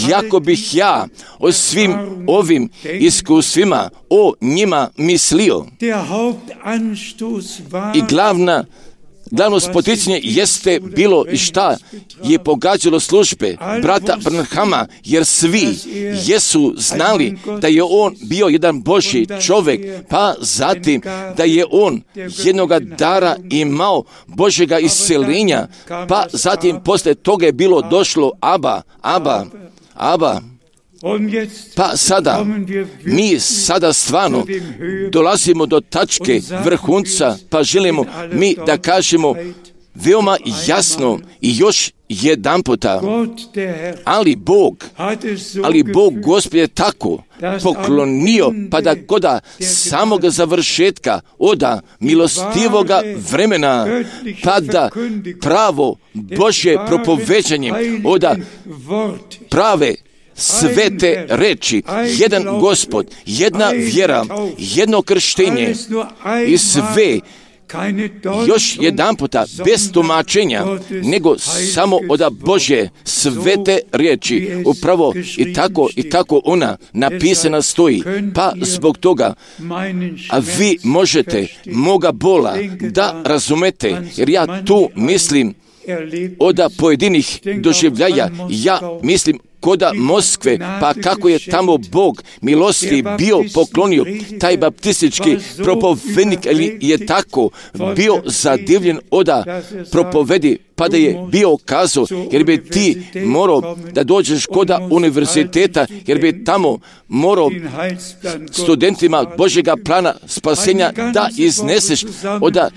jako bih ja o svim ovim iskustvima o njima mislio. I glavna Glavno spoticanje jeste bilo i šta je pogađalo službe brata Branhama, jer svi jesu znali da je on bio jedan Božji čovjek, pa zatim da je on jednoga dara imao Božjega isceljenja, pa zatim poslije toga je bilo došlo Aba, Aba, Aba. Pa sada, mi sada stvarno dolazimo do tačke vrhunca, pa želimo mi da kažemo veoma jasno i još jedan puta, ali Bog, ali Bog Gospod je tako poklonio, pa da koda samoga završetka oda milostivoga vremena, pa da pravo Božje propoveđanje oda prave svete reči, jedan Gospod, jedna vjera, jedno krštenje i sve još jedan puta bez tumačenja, nego samo od Božje svete riječi. Upravo i tako i tako ona napisana stoji. Pa zbog toga, a vi možete moga bola da razumete, jer ja tu mislim od pojedinih doživljaja, ja mislim koda Moskve, pa kako je tamo Bog milosti bio poklonio, taj baptistički propovednik je tako bio zadivljen oda propovedi, pa da je bio kazao, jer bi ti morao da dođeš koda univerziteta, jer bi tamo morao studentima Božjega plana spasenja da izneseš. Oda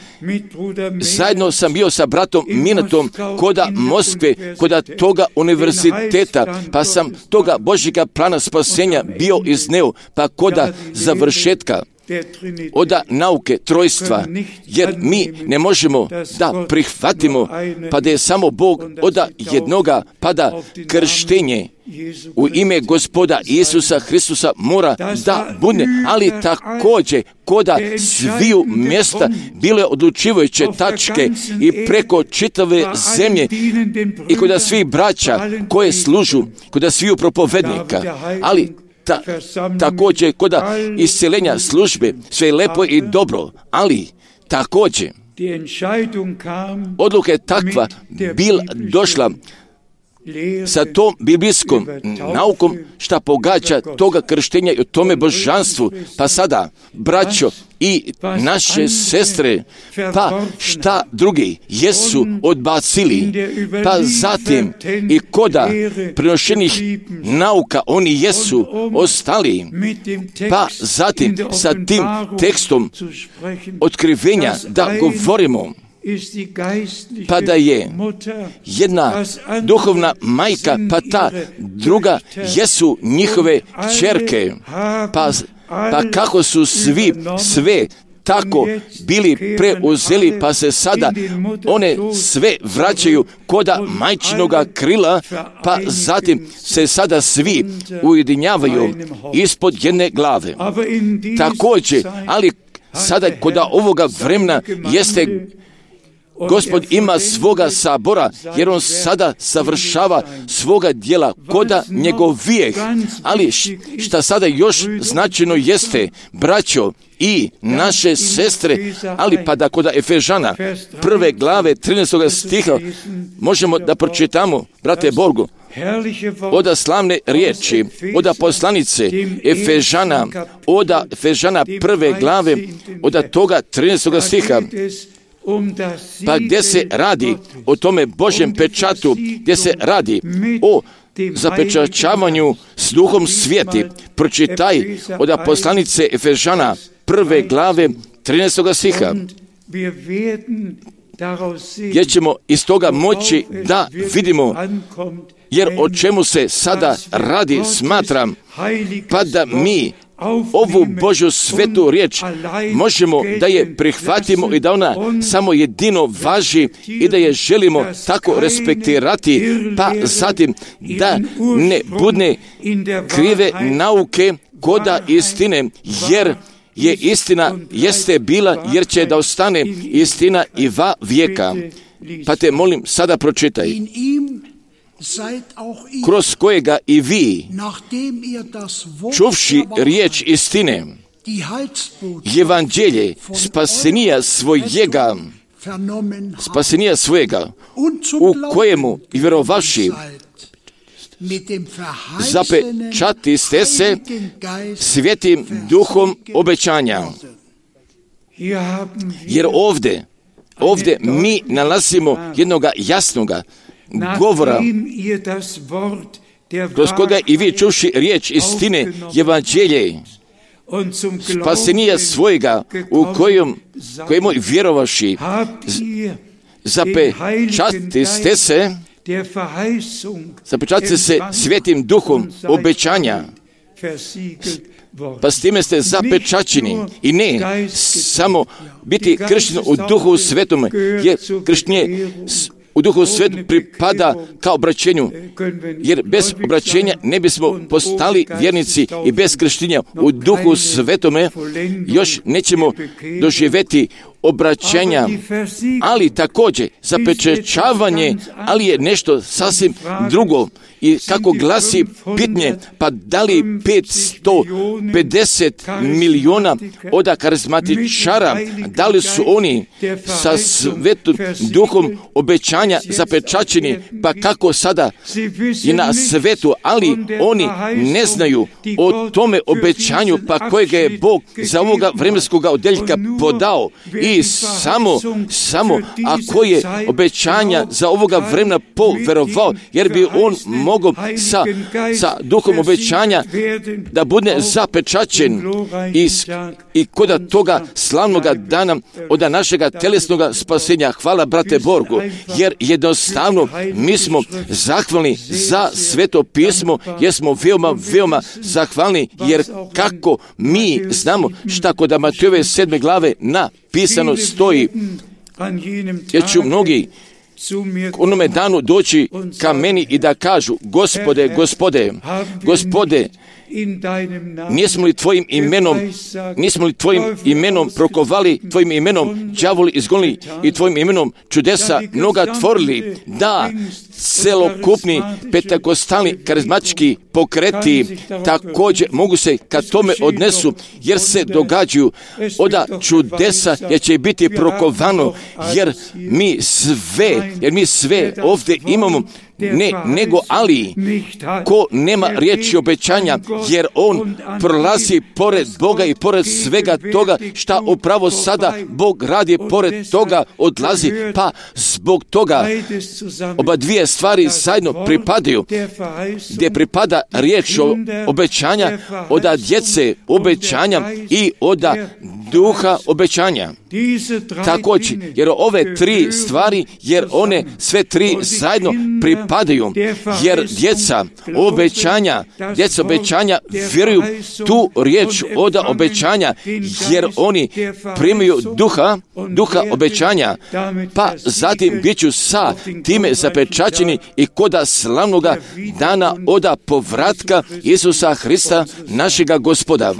zajedno sam bio sa bratom Minatom koda Moskve, koda toga univerziteta, pa sam toga Božjega plana spasenja bio izneo, pa koda završetka oda nauke trojstva, jer mi ne možemo da prihvatimo pa da je samo Bog oda jednoga, pa da krštenje u ime Gospoda Isusa Hristusa mora da bude, ali također koda sviju mjesta bile odlučivajuće tačke i preko čitave zemlje i koda svih braća koje služu, koda sviju propovednika, ali Ta, također koda isceljenja službe, sve je lepo i dobro, ali također odluka je takva bila došla sa tom biblijskom naukom šta pogađa toga krštenja i o tome božanstvu. Pa sada, braćo i naše sestre, pa šta drugi jesu odbacili, pa zatim i koda prenošenih nauka oni jesu ostali, pa zatim sa tim tekstom otkrivenja da govorimo, pa da je jedna duhovna majka, pa ta druga jesu njihove ćerke, pa, pa kako su svi sve tako bili preuzeli, pa se sada one sve vraćaju koda majčinoga krila, pa zatim se sada svi ujedinjavaju ispod jedne glave. Također, ali sada koda ovoga vremena jeste Gospod ima svoga sabora, jer on sada savršava svoga djela koda njegov vijek. Ali šta sada još značajno jeste, braćo i naše sestre, ali pa da koda Efežana prve glave trinaestog stiha možemo da pročitamo, brate Borgu, oda slavne riječi, oda poslanice Efežana, oda Efežana prve glave, oda toga trinaestog stiha, pa gdje se radi o tome Božjem pečatu, gdje se radi o zapečaćavanju s duhom svijeti, pročitaj od poslanice Efežana prve glave trinaestog stiha, gdje ćemo iz toga moći da vidimo, jer o čemu se sada radi, smatram, pa da mi ovu Božju svetu riječ možemo da je prihvatimo i da ona samo jedino važi i da je želimo tako respektirati, pa zatim da ne budne krive nauke koda istine, jer je istina jeste bila, jer će da ostane istina i va vijeka. Pa te molim, sada pročitaj. Kroz kojega i vi, čuvši riječ istine, evanđelje spasenija svojega, spasenija svojega, u kojemu i vjerovaši, zapečati ste se svjetim duhom obećanja. Jer ovdje, ovdje mi nalazimo jednoga jasnoga govora, kroz koga i vi čuvši riječ istine, evanđelje, spasenija svojega, u kojem, kojemu vjerovaši, zapečati ste se, zapečati se svjetim duhom obećanja, pa s time ste zapečaćeni i ne samo biti kršćen u duhu svetom, jer kršćenje u duhu svetu pripada kao obraćenju, jer bez obraćenja ne bismo postali vjernici i bez krštenja u duhu svetome još nećemo doživjeti obraćenja, ali također zapečaćavanje, ali je nešto sasvim drugo. I kako glasi pitanje, pa da li petsto pedeset milijuna oda karizmatičara, da li su oni sa svetom duhom obećanja zapečaćeni, pa kako sada i na svetu, ali oni ne znaju o tome obećanju, pa kojega je Bog za ovoga vremenskog odeljka podao. I samo, samo ako je obećanja za ovoga vremena poverovao, jer bi on mogao sa, sa duhom obećanja da bude zapečaćen i, i kod toga slavnoga dana od našega telesnoga spasenja. Hvala, brate Borgu, jer jednostavno mi smo zahvalni za sveto pismo, jer smo veoma, veoma zahvalni, jer kako mi znamo šta kod Matejove sedme glave napisano stoji, jer ću mnogi onome danu doći ka meni i da kažu, Gospode, Gospode, Gospode, nismo li tvojim imenom, nismo li tvojim imenom prokovali, tvojim imenom đavoli izgonili i tvojim imenom čudesa mnoga tvorili, da celokupni pentekostalni karizmatički pokreti također mogu se kad tome odnesu, jer se događaju oda čudesa, jer će biti prokovano, jer mi sve, jer mi sve ovdje imamo, ne, nego ali, ko nema riječi obećanja, jer on prolazi pored Boga i pored svega toga šta upravo sada Bog radi, pored toga odlazi, pa zbog toga oba dvije stvari zajedno pripadaju, gdje pripada riječ obećanja, oda djece obećanja i oda duha obećanja. Također, jer ove tri stvari, jer one sve tri zajedno pripadaju, jer djeca obećanja, djeca obećanja vjeruju tu riječ od obećanja, jer oni primaju duha, duha obećanja, pa zatim bit ću sa time zapečaćeni i koda slavnoga dana oda povratka Isusa Hrista, našega Gospoda.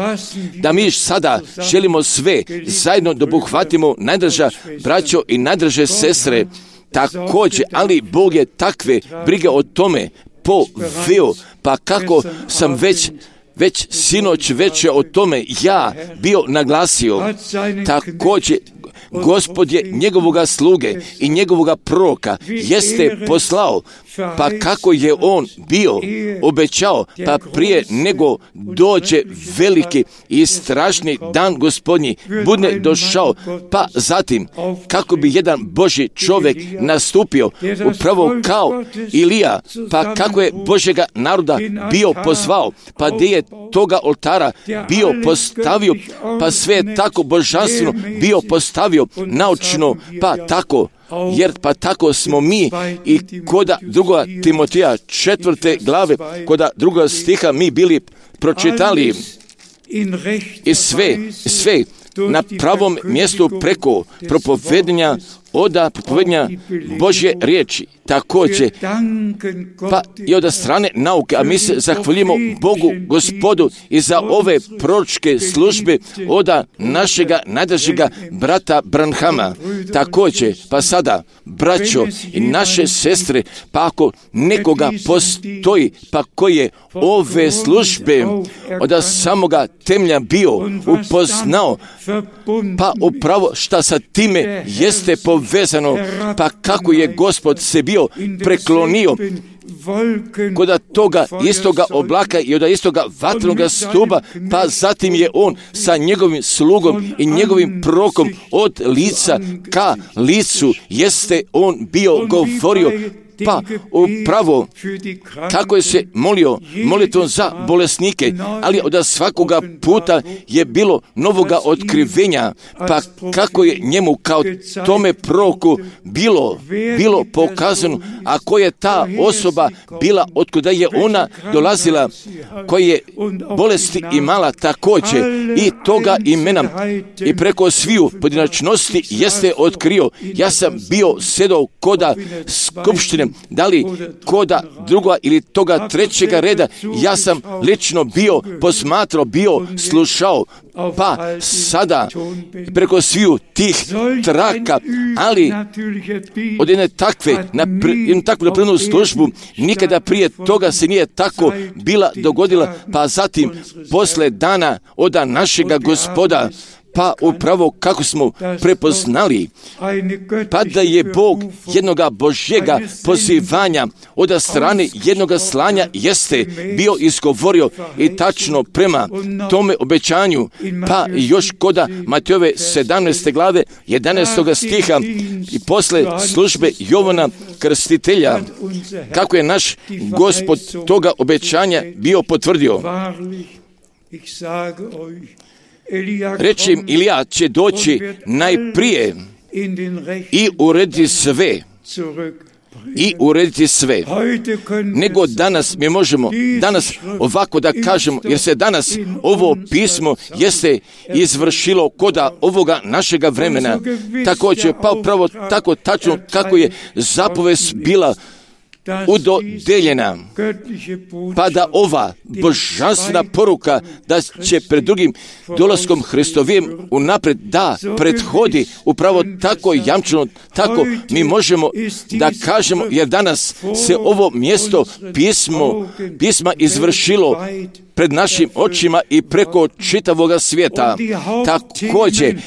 Da mi sada želimo sve zajedno da obuhvatimo, najdraža braćo i najdraže sestre, također, ali Bog je takve brige o tome poveo, pa kako sam već već sinoć već o tome ja bio naglasio, također Gospod je njegovoga sluge i njegovoga proroka jeste poslao, pa kako je on bio obećao, pa prije nego dođe veliki i strašni dan Gospodnji bude došao, pa zatim kako bi jedan Božji čovjek nastupio upravo kao Ilija, pa kako je Božjega naroda bio pozvao, pa gdje je toga oltara bio postavio, pa sve je tako božanstveno bio postavio naučno, pa tako, jer pa tako smo mi i koda druga Timotija četvrte glave, koda druga stiha mi bili pročitali i sve, sve na pravom mjestu preko propovedanja oda propovedanja Božje riječi. Također, pa i od strane nauke, a mi se zahvaljujemo Bogu, Gospodu i za ove proročke službe oda našega najdražega brata Branhama. Također, pa sada, braćo i naše sestre, pa ako nekoga postoji, pa koji je ove službe od samoga temelja bio upoznao, pa upravo šta sa time jeste povezano, pa kako je Gospod se bio preklonio kod toga istoga oblaka i od istoga vatrenog stuba, pa zatim je on sa njegovim slugom i njegovim prorokom od lica ka licu jeste on bio govorio, pa upravo kako je se molio molitvom za bolesnike, ali od svakoga puta je bilo novoga otkrivenja, pa kako je njemu kao tome proroku bilo, bilo pokazano, a koja je ta osoba bila, otkuda je ona dolazila, koja je bolesti imala također i toga imena i preko sviju pojedinačnosti jeste otkrio. Ja sam bio sedao koda skupštine, da li koda druga ili toga trećega reda, ja sam lično bio posmatrao, bio slušao, pa sada preko sviju tih traka, ali od jedne takve, na jednu takvu napravljenu službu, nikada prije toga se nije tako bila dogodila, pa zatim posle dana oda našega Gospoda, pa upravo kako smo prepoznali, pa da je Bog jednoga Božjega pozivanja od strane jednoga slanja jeste bio izgovorio i tačno prema tome obećanju, pa još koda Matejove sedamnaeste glave jedanaestog stiha i posle službe Jovana Krstitelja, kako je naš Gospod toga obećanja bio potvrdio. Reći im, Ilija će doći najprije i urediti sve, i urediti sve, nego danas mi možemo danas ovako da kažemo, jer se danas ovo pismo jeste izvršilo koda ovoga našega vremena, također, pa upravo tako tačno kako je zapovest bila udodeljena, pa da ova božanstvena poruka da će pred drugim dolaskom Hristovim unapred da prethodi upravo tako jamčeno, tako mi možemo da kažemo, jer danas se ovo mjesto pismo, pisma izvršilo pred našim očima i preko čitavoga svijeta. Također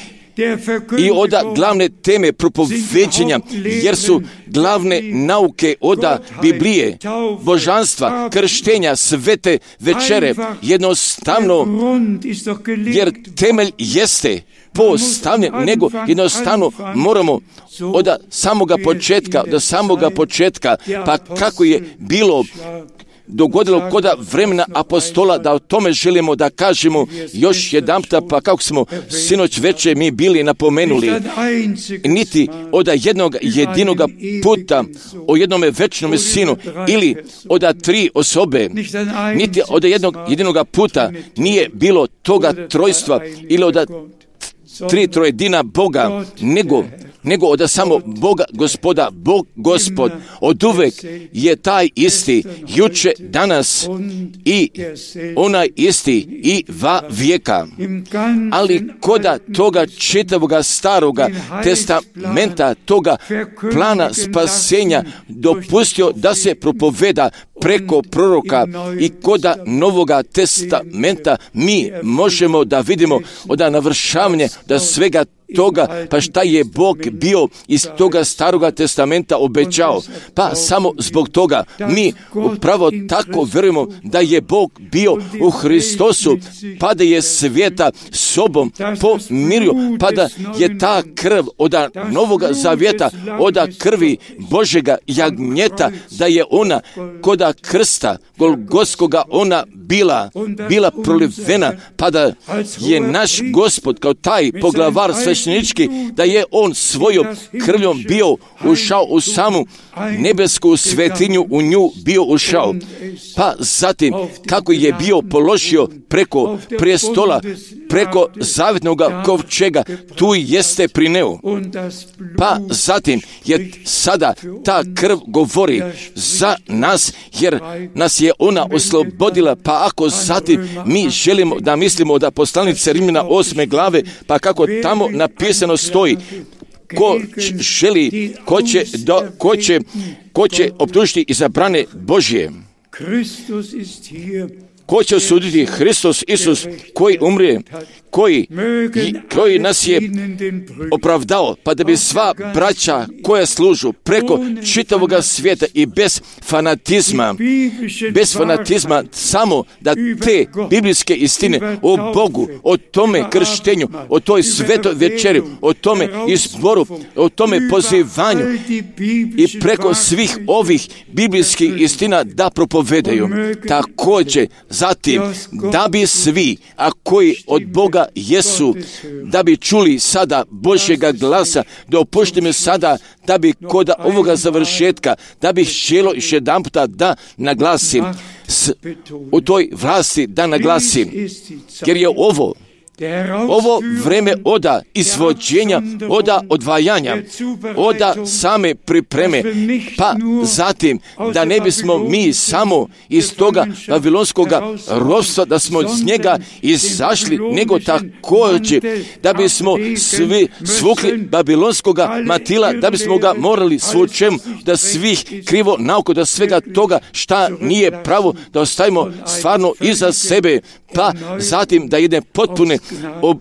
i oda glavne teme propoveđenja, jer su glavne nauke oda Biblije, božanstva, krštenja, svete večere, jednostavno, jer temelj jeste postavljen, nego jednostavno moramo od samoga početka, do samoga početka, pa kako je bilo dogodilo kod vremena apostola, da o tome želimo da kažemo još jedanputa, pa kako smo sinoć večer mi bili napomenuli, niti od jednog jedinoga puta o jednome večnome sinu ili od tri osobe, niti od jednog jedinoga puta nije bilo toga trojstva ili od tri trojedina Boga, nego nego od samo Boga Gospoda. Bog Gospod od uvek je taj isti, juče, danas i onaj isti i va vijeka. Ali koda toga čitavoga staroga testamenta, toga plana spasenja dopustio da se propoveda preko proroka, i koda novoga testamenta mi možemo da vidimo od navršavanja da svega toga, pa šta je Bog bio iz toga staroga testamenta obećao. Pa samo zbog toga mi upravo tako vjerujemo da je Bog bio u Hristosu, pa da je svijeta sobom pomirio, pa da je ta krv od novoga zavjeta, od krvi Božega jagnjeta, da je ona koda krsta Golgotskoga ona bila, bila prolivena, pa da je naš Gospod kao taj poglavar sveštenički, da je on svojom krvljom bio ušao u samu nebesku svetinju, u nju bio ušao. Pa zatim kako je bio položio preko prestola, preko zavjetnoga kovčega, tu jeste prineo. Pa zatim je sada ta krv govori za nas, jer nas je ona oslobodila. Pa ako zatim mi želimo da mislimo da poslanice Rimljana osme glave, pa kako tamo napisano stoji, ko želi, ko će, do, ko će, ko će optužiti izabrane Božje, ko će osuditi? Hristos Isus, koji umre, koji, koji nas je opravdao, pa da bi sva braća koja služu preko čitavoga svijeta i bez fanatizma, bez fanatizma, samo da te biblijske istine o Bogu, o tome krštenju, o toj svetoj večeri, o tome izboru, o tome pozivanju i preko svih ovih biblijskih istina da propovedaju. Također, zatim, da bi svi, a koji od Boga jesu, da bi čuli sada Božjega glasa, da opuštimo sada, da bi kod ovoga završetka, da bih želio još jedan puta da naglasim, s, u toj vlasti da naglasim, jer je ovo, ovo vreme oda izvođenja, oda odvajanja, oda same pripreme, pa zatim da ne bismo mi samo iz toga babilonskog ropstva, da smo iz njega izašli, nego također da bismo svi svukli babilonskog matila, da bismo ga morali svučem, da svih krivo nauko, da svega toga šta nije pravo, da ostavimo stvarno iza sebe, pa zatim da jedne potpune ob,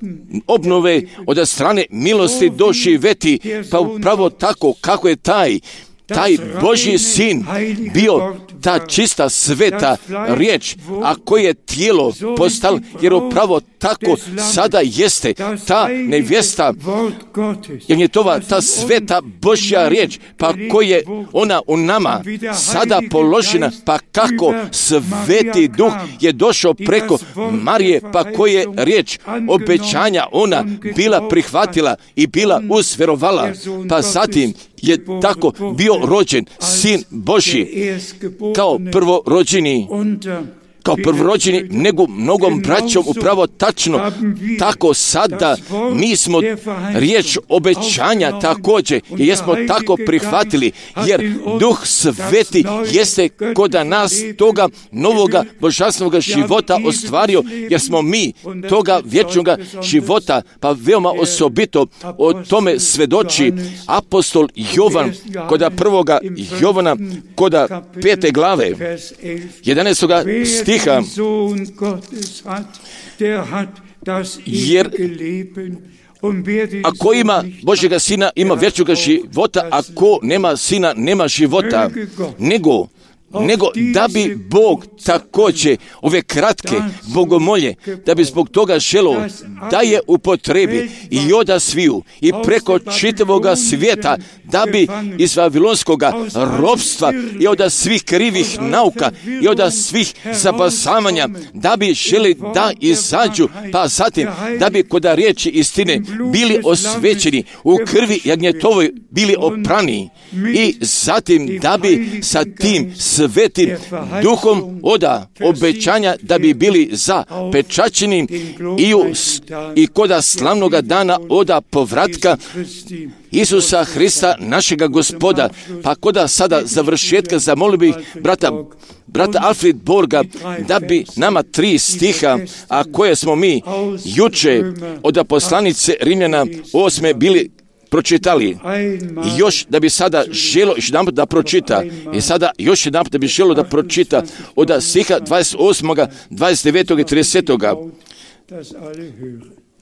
obnove od strane milosti doživjeti, pa upravo tako kako je taj taj Božji sin bio ta čista sveta riječ, a koje je tijelo postalo, jer upravo tako sada jeste ta nevjesta, jer je to ta sveta Božja riječ, pa koja je ona u nama sada položena, pa kako sveti duh je došao preko Marije, pa koje je riječ obećanja ona bila prihvatila i bila usvjerovala, pa zatim je tako bio rođen sin Božji kao prvorođeni, kao prvorođeni, nego mnogom braćom upravo tačno, tako sada mi smo riječ obećanja također i jesmo tako prihvatili, jer Duh Sveti jeste kod nas toga novoga božanstvenog života ostvario, jer smo mi toga vječnog života, pa veoma osobito o tome svedoči apostol Jovan, kod prvoga Jovana, kod pete glave, jedanaestoga stiha, jer ako ima Božjega sina, ima vječnoga života, ako nema sina, nema života, nego nego da bi Bog također ove kratke bogomolje, da bi zbog toga želo da je upotrebi i oda sviju i preko čitavoga svijeta, da bi iz vavilonskoga ropstva i od svih krivih nauka i od svih zabasavanja, da bi želi da izađu, pa zatim da bi kod riječi istine bili osvećeni, u krvi jagnjetovoj bili oprani i zatim da bi sa tim svetim duhom oda obećanja da bi bili zapečaćeni i, u, i koda slavnoga dana oda povratka Isusa Hrista, našega Gospoda. Pa koda sada završetka zamolio bih brata, brata Alfred Borga da bi nama tri stiha, a koje smo mi juče od poslanice Rimljana osme bili pročitali. I još da bi sada želo još jedan da pročita. I sada još jedan da bi želo da pročita od stiha dvadeset osmog, dvadeset devetog i tridesetog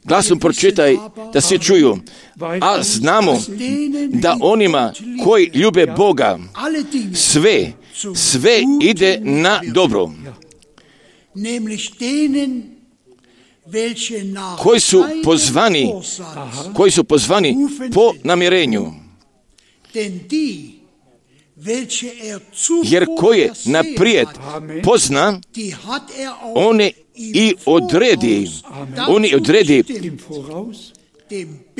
Glasom pročitaj da svi čuju. A znamo da onima koji ljube Boga sve, sve ide na dobro. Koji su pozvani, koji su pozvani po namirenju. Jer koje naprijed pozna, one i odredi, oni odredi,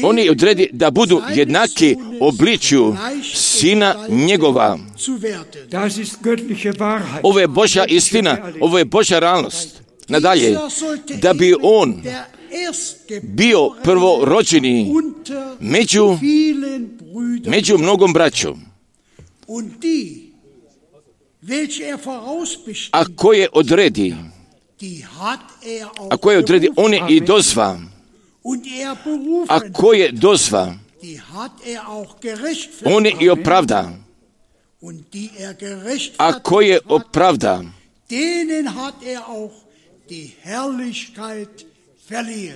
oni odredi da budu jednaki obličju Sina njegova. Ovo je Božja istina, ovo je Božja realnost. Nadalje, da bi on bio prvorođeni među, među mnogom braćom. A koje odredi, a koje odredi, on je i dozva. A koje dozva, on je i opravda. A koje opravda,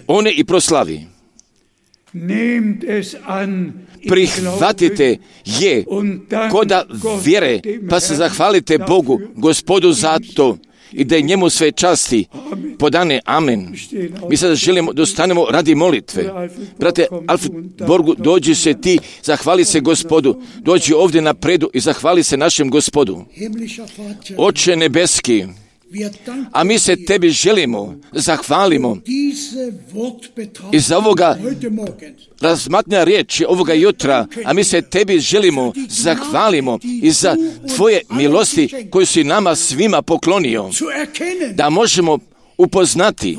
on je i proslavi. Prihvatite je koda vjere, pa se zahvalite Bogu, Gospodu za to i da je njemu sve časti podane. Amen. Mi sada želimo da ostanemo radi molitve. Brate Alfred Borgu, dođi se ti, zahvali se Gospodu. Dođi ovdje napredu i zahvali se našem Gospodu. Oče nebeski, a mi se tebi želimo, zahvalimo i za ovoga razmatnja riječi ovoga jutra, a mi se tebi želimo, zahvalimo i za tvoje milosti koje si nama svima poklonio, da možemo upoznati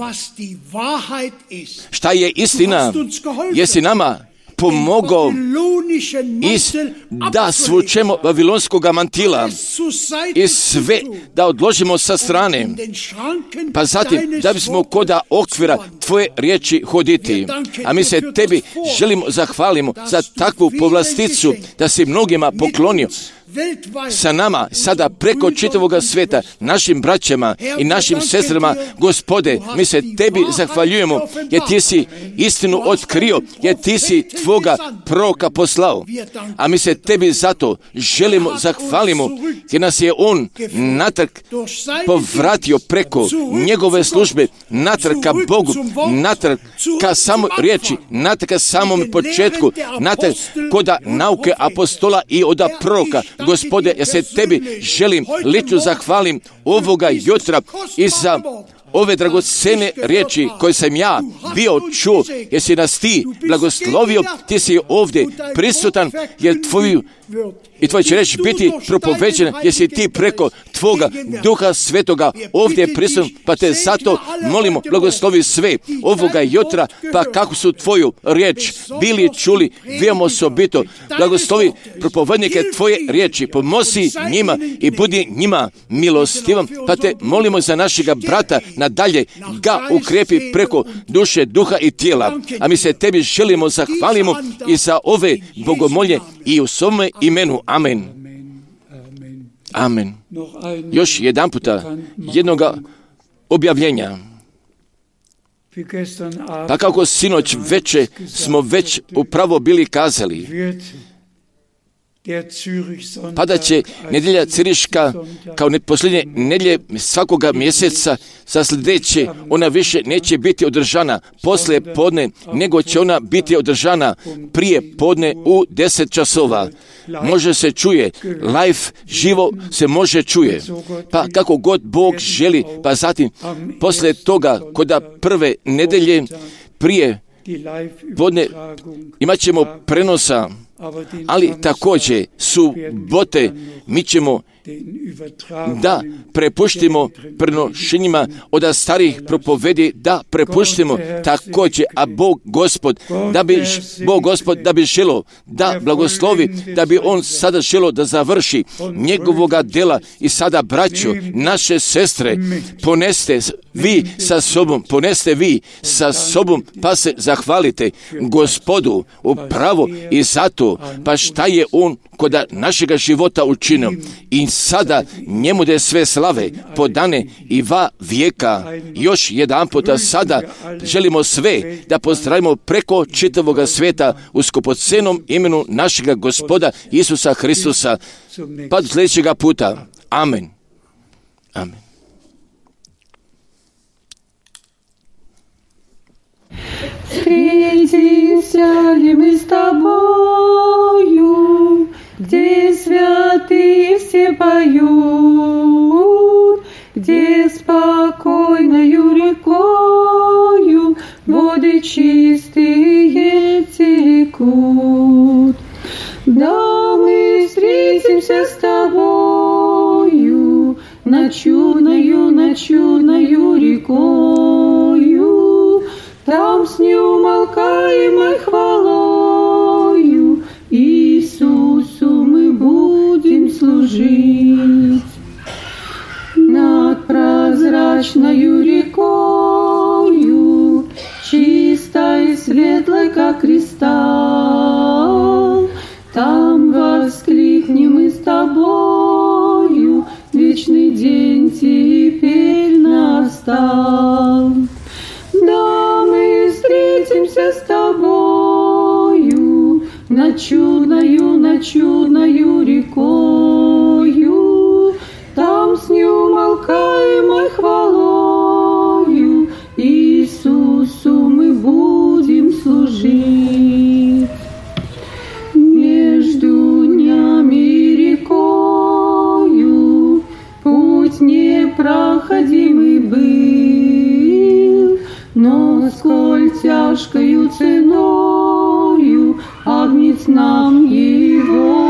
šta je istina, jesi nama pomogao iz da svučemo vavilonskoga mantila i sve da odložimo sa strane, pa zatim da bismo koda okvira tvoje riječi hoditi. A mi se tebi želimo zahvalimo za takvu povlasticu da si mnogima poklonio sa nama, sada preko čitavoga sveta, našim braćama i našim sestrama. Gospode, mi se tebi zahvaljujemo, jer ti si istinu otkrio, jer ti si tvoga proroka poslao. A mi se tebi zato želimo zahvalimo, jer nas je on natrag povratio preko njegove službe, natrag ka Bogu, natrag ka samoj riječi, natrag ka samom početku, natrag koda nauke apostola i oda proroka. Gospode, ja se tebi želim lično zahvalim ovoga jutra i za ove dragocene riječi koje sam ja bio čuo, jer si nas ti blagoslovio, ti si ovdje prisutan, jer tvoju i tvoj će reći biti propoveđen, jer si ti preko tvoga Duha Svetoga ovdje prisutan, pa te zato molimo, blagoslovi sve ovoga jutra, pa kako su tvoju riječ bili čuli, veoma osobito, blagoslovi propovednike tvoje riječi, pomozi njima i budi njima milostivan, pa te molimo za našega brata, nadalje ga ukrepi preko duše, duha i tijela. A mi se tebi želimo, zahvalimo i za ove bogomolje i u svome imenu. Amen. Amen. Još jedan puta jednoga objavljenja. Pa kako sinoć veče smo već upravo bili kazali, Pada će nedjelja Ciriška kao posljednje nedjelje svakoga mjeseca, za sljedeće ona više neće biti održana poslije podne, nego će ona biti održana prije podne u deset časova. Može se čuje, live, živo se može čuje. Pa kako god Bog želi, pa zatim poslije toga, kod prve nedelje prije podne imat ćemo prenosa, ali također subote mi ćemo da prepuštimo prenošenjima od starih propovedi, da prepuštimo također, a Bog Gospod, da bi Bog Gospod da bi želo da blagoslovi, da bi on sada želo da završi njegovoga dela. I sada, braćo, naše sestre, poneste vi sa sobom, poneste vi sa sobom, pa se zahvalite Gospodu upravo i zato, pa šta je on kod našega života učinio. I sada njemu da je sve slave podane i va vijeka. Još jedan puta sada želimo sve da pozdravimo preko čitavoga svijeta u skupocenom imenu našega Gospoda Isusa Hristusa. Pa do sljedećega puta. Amen. Amen. Встретимся ли мы с тобою, где святые все поют, где спокойною рекою воды чистые текут. Да мы встретимся с тобою над чудною, над чудною рекою, там с неумолкаемой хвалою Иисусу мы будем служить. Над прозрачною рекою, чистой и светлой, как кристалл, там воскликнем мы с тобою, вечный день теперь настал. Да, мы встретимся с тобою над чудною, над чудною рекою, там с неумолкаемой хвалою Иисусу мы будем служить. Между днями и рекою путь непроходимый был, но сколь тяжкою ценою Агнец нам его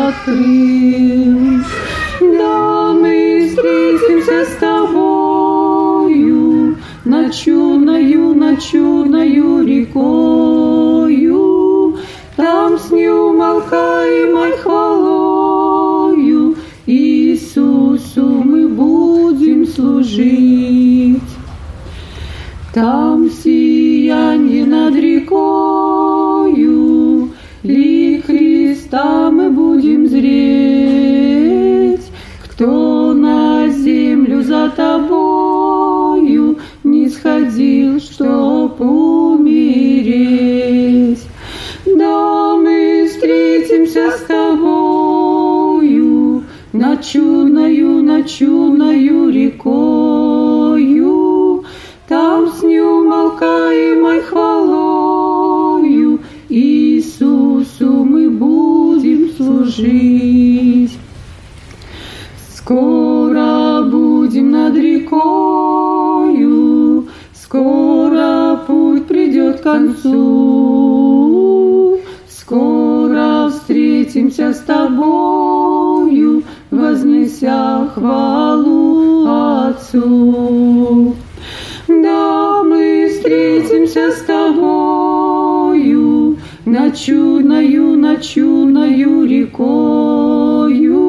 открыл. Да, мы встретимся с тобою над чудною, над чудною рекою, там с неумолкаемой хвалою Иисусу мы будем служить. Там сиянье над рекою, лик Христа мы будем зреть. Кто на землю за тобою не сходил, чтоб умереть? Да, мы встретимся с тобою над чудною, над чудною рекою, там с неумолкаемой хвалою Иисусу мы будем служить. Скоро будем над рекою, скоро путь придет к концу, скоро встретимся с тобою, вознеся хвалу Отцу. Да, мы встретимся с тобою над чудною, над чудною рекою,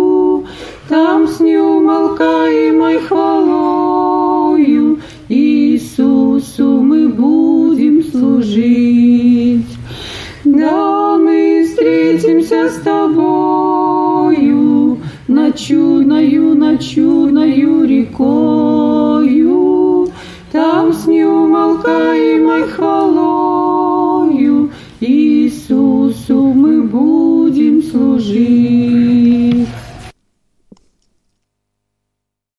там с неумолкаемой хвалою Иисусу мы будем служить. Да, мы встретимся с тобою над чудною, над чудною рекою, там с неумолкаемой хвалою Иисусу мы будем будем служить.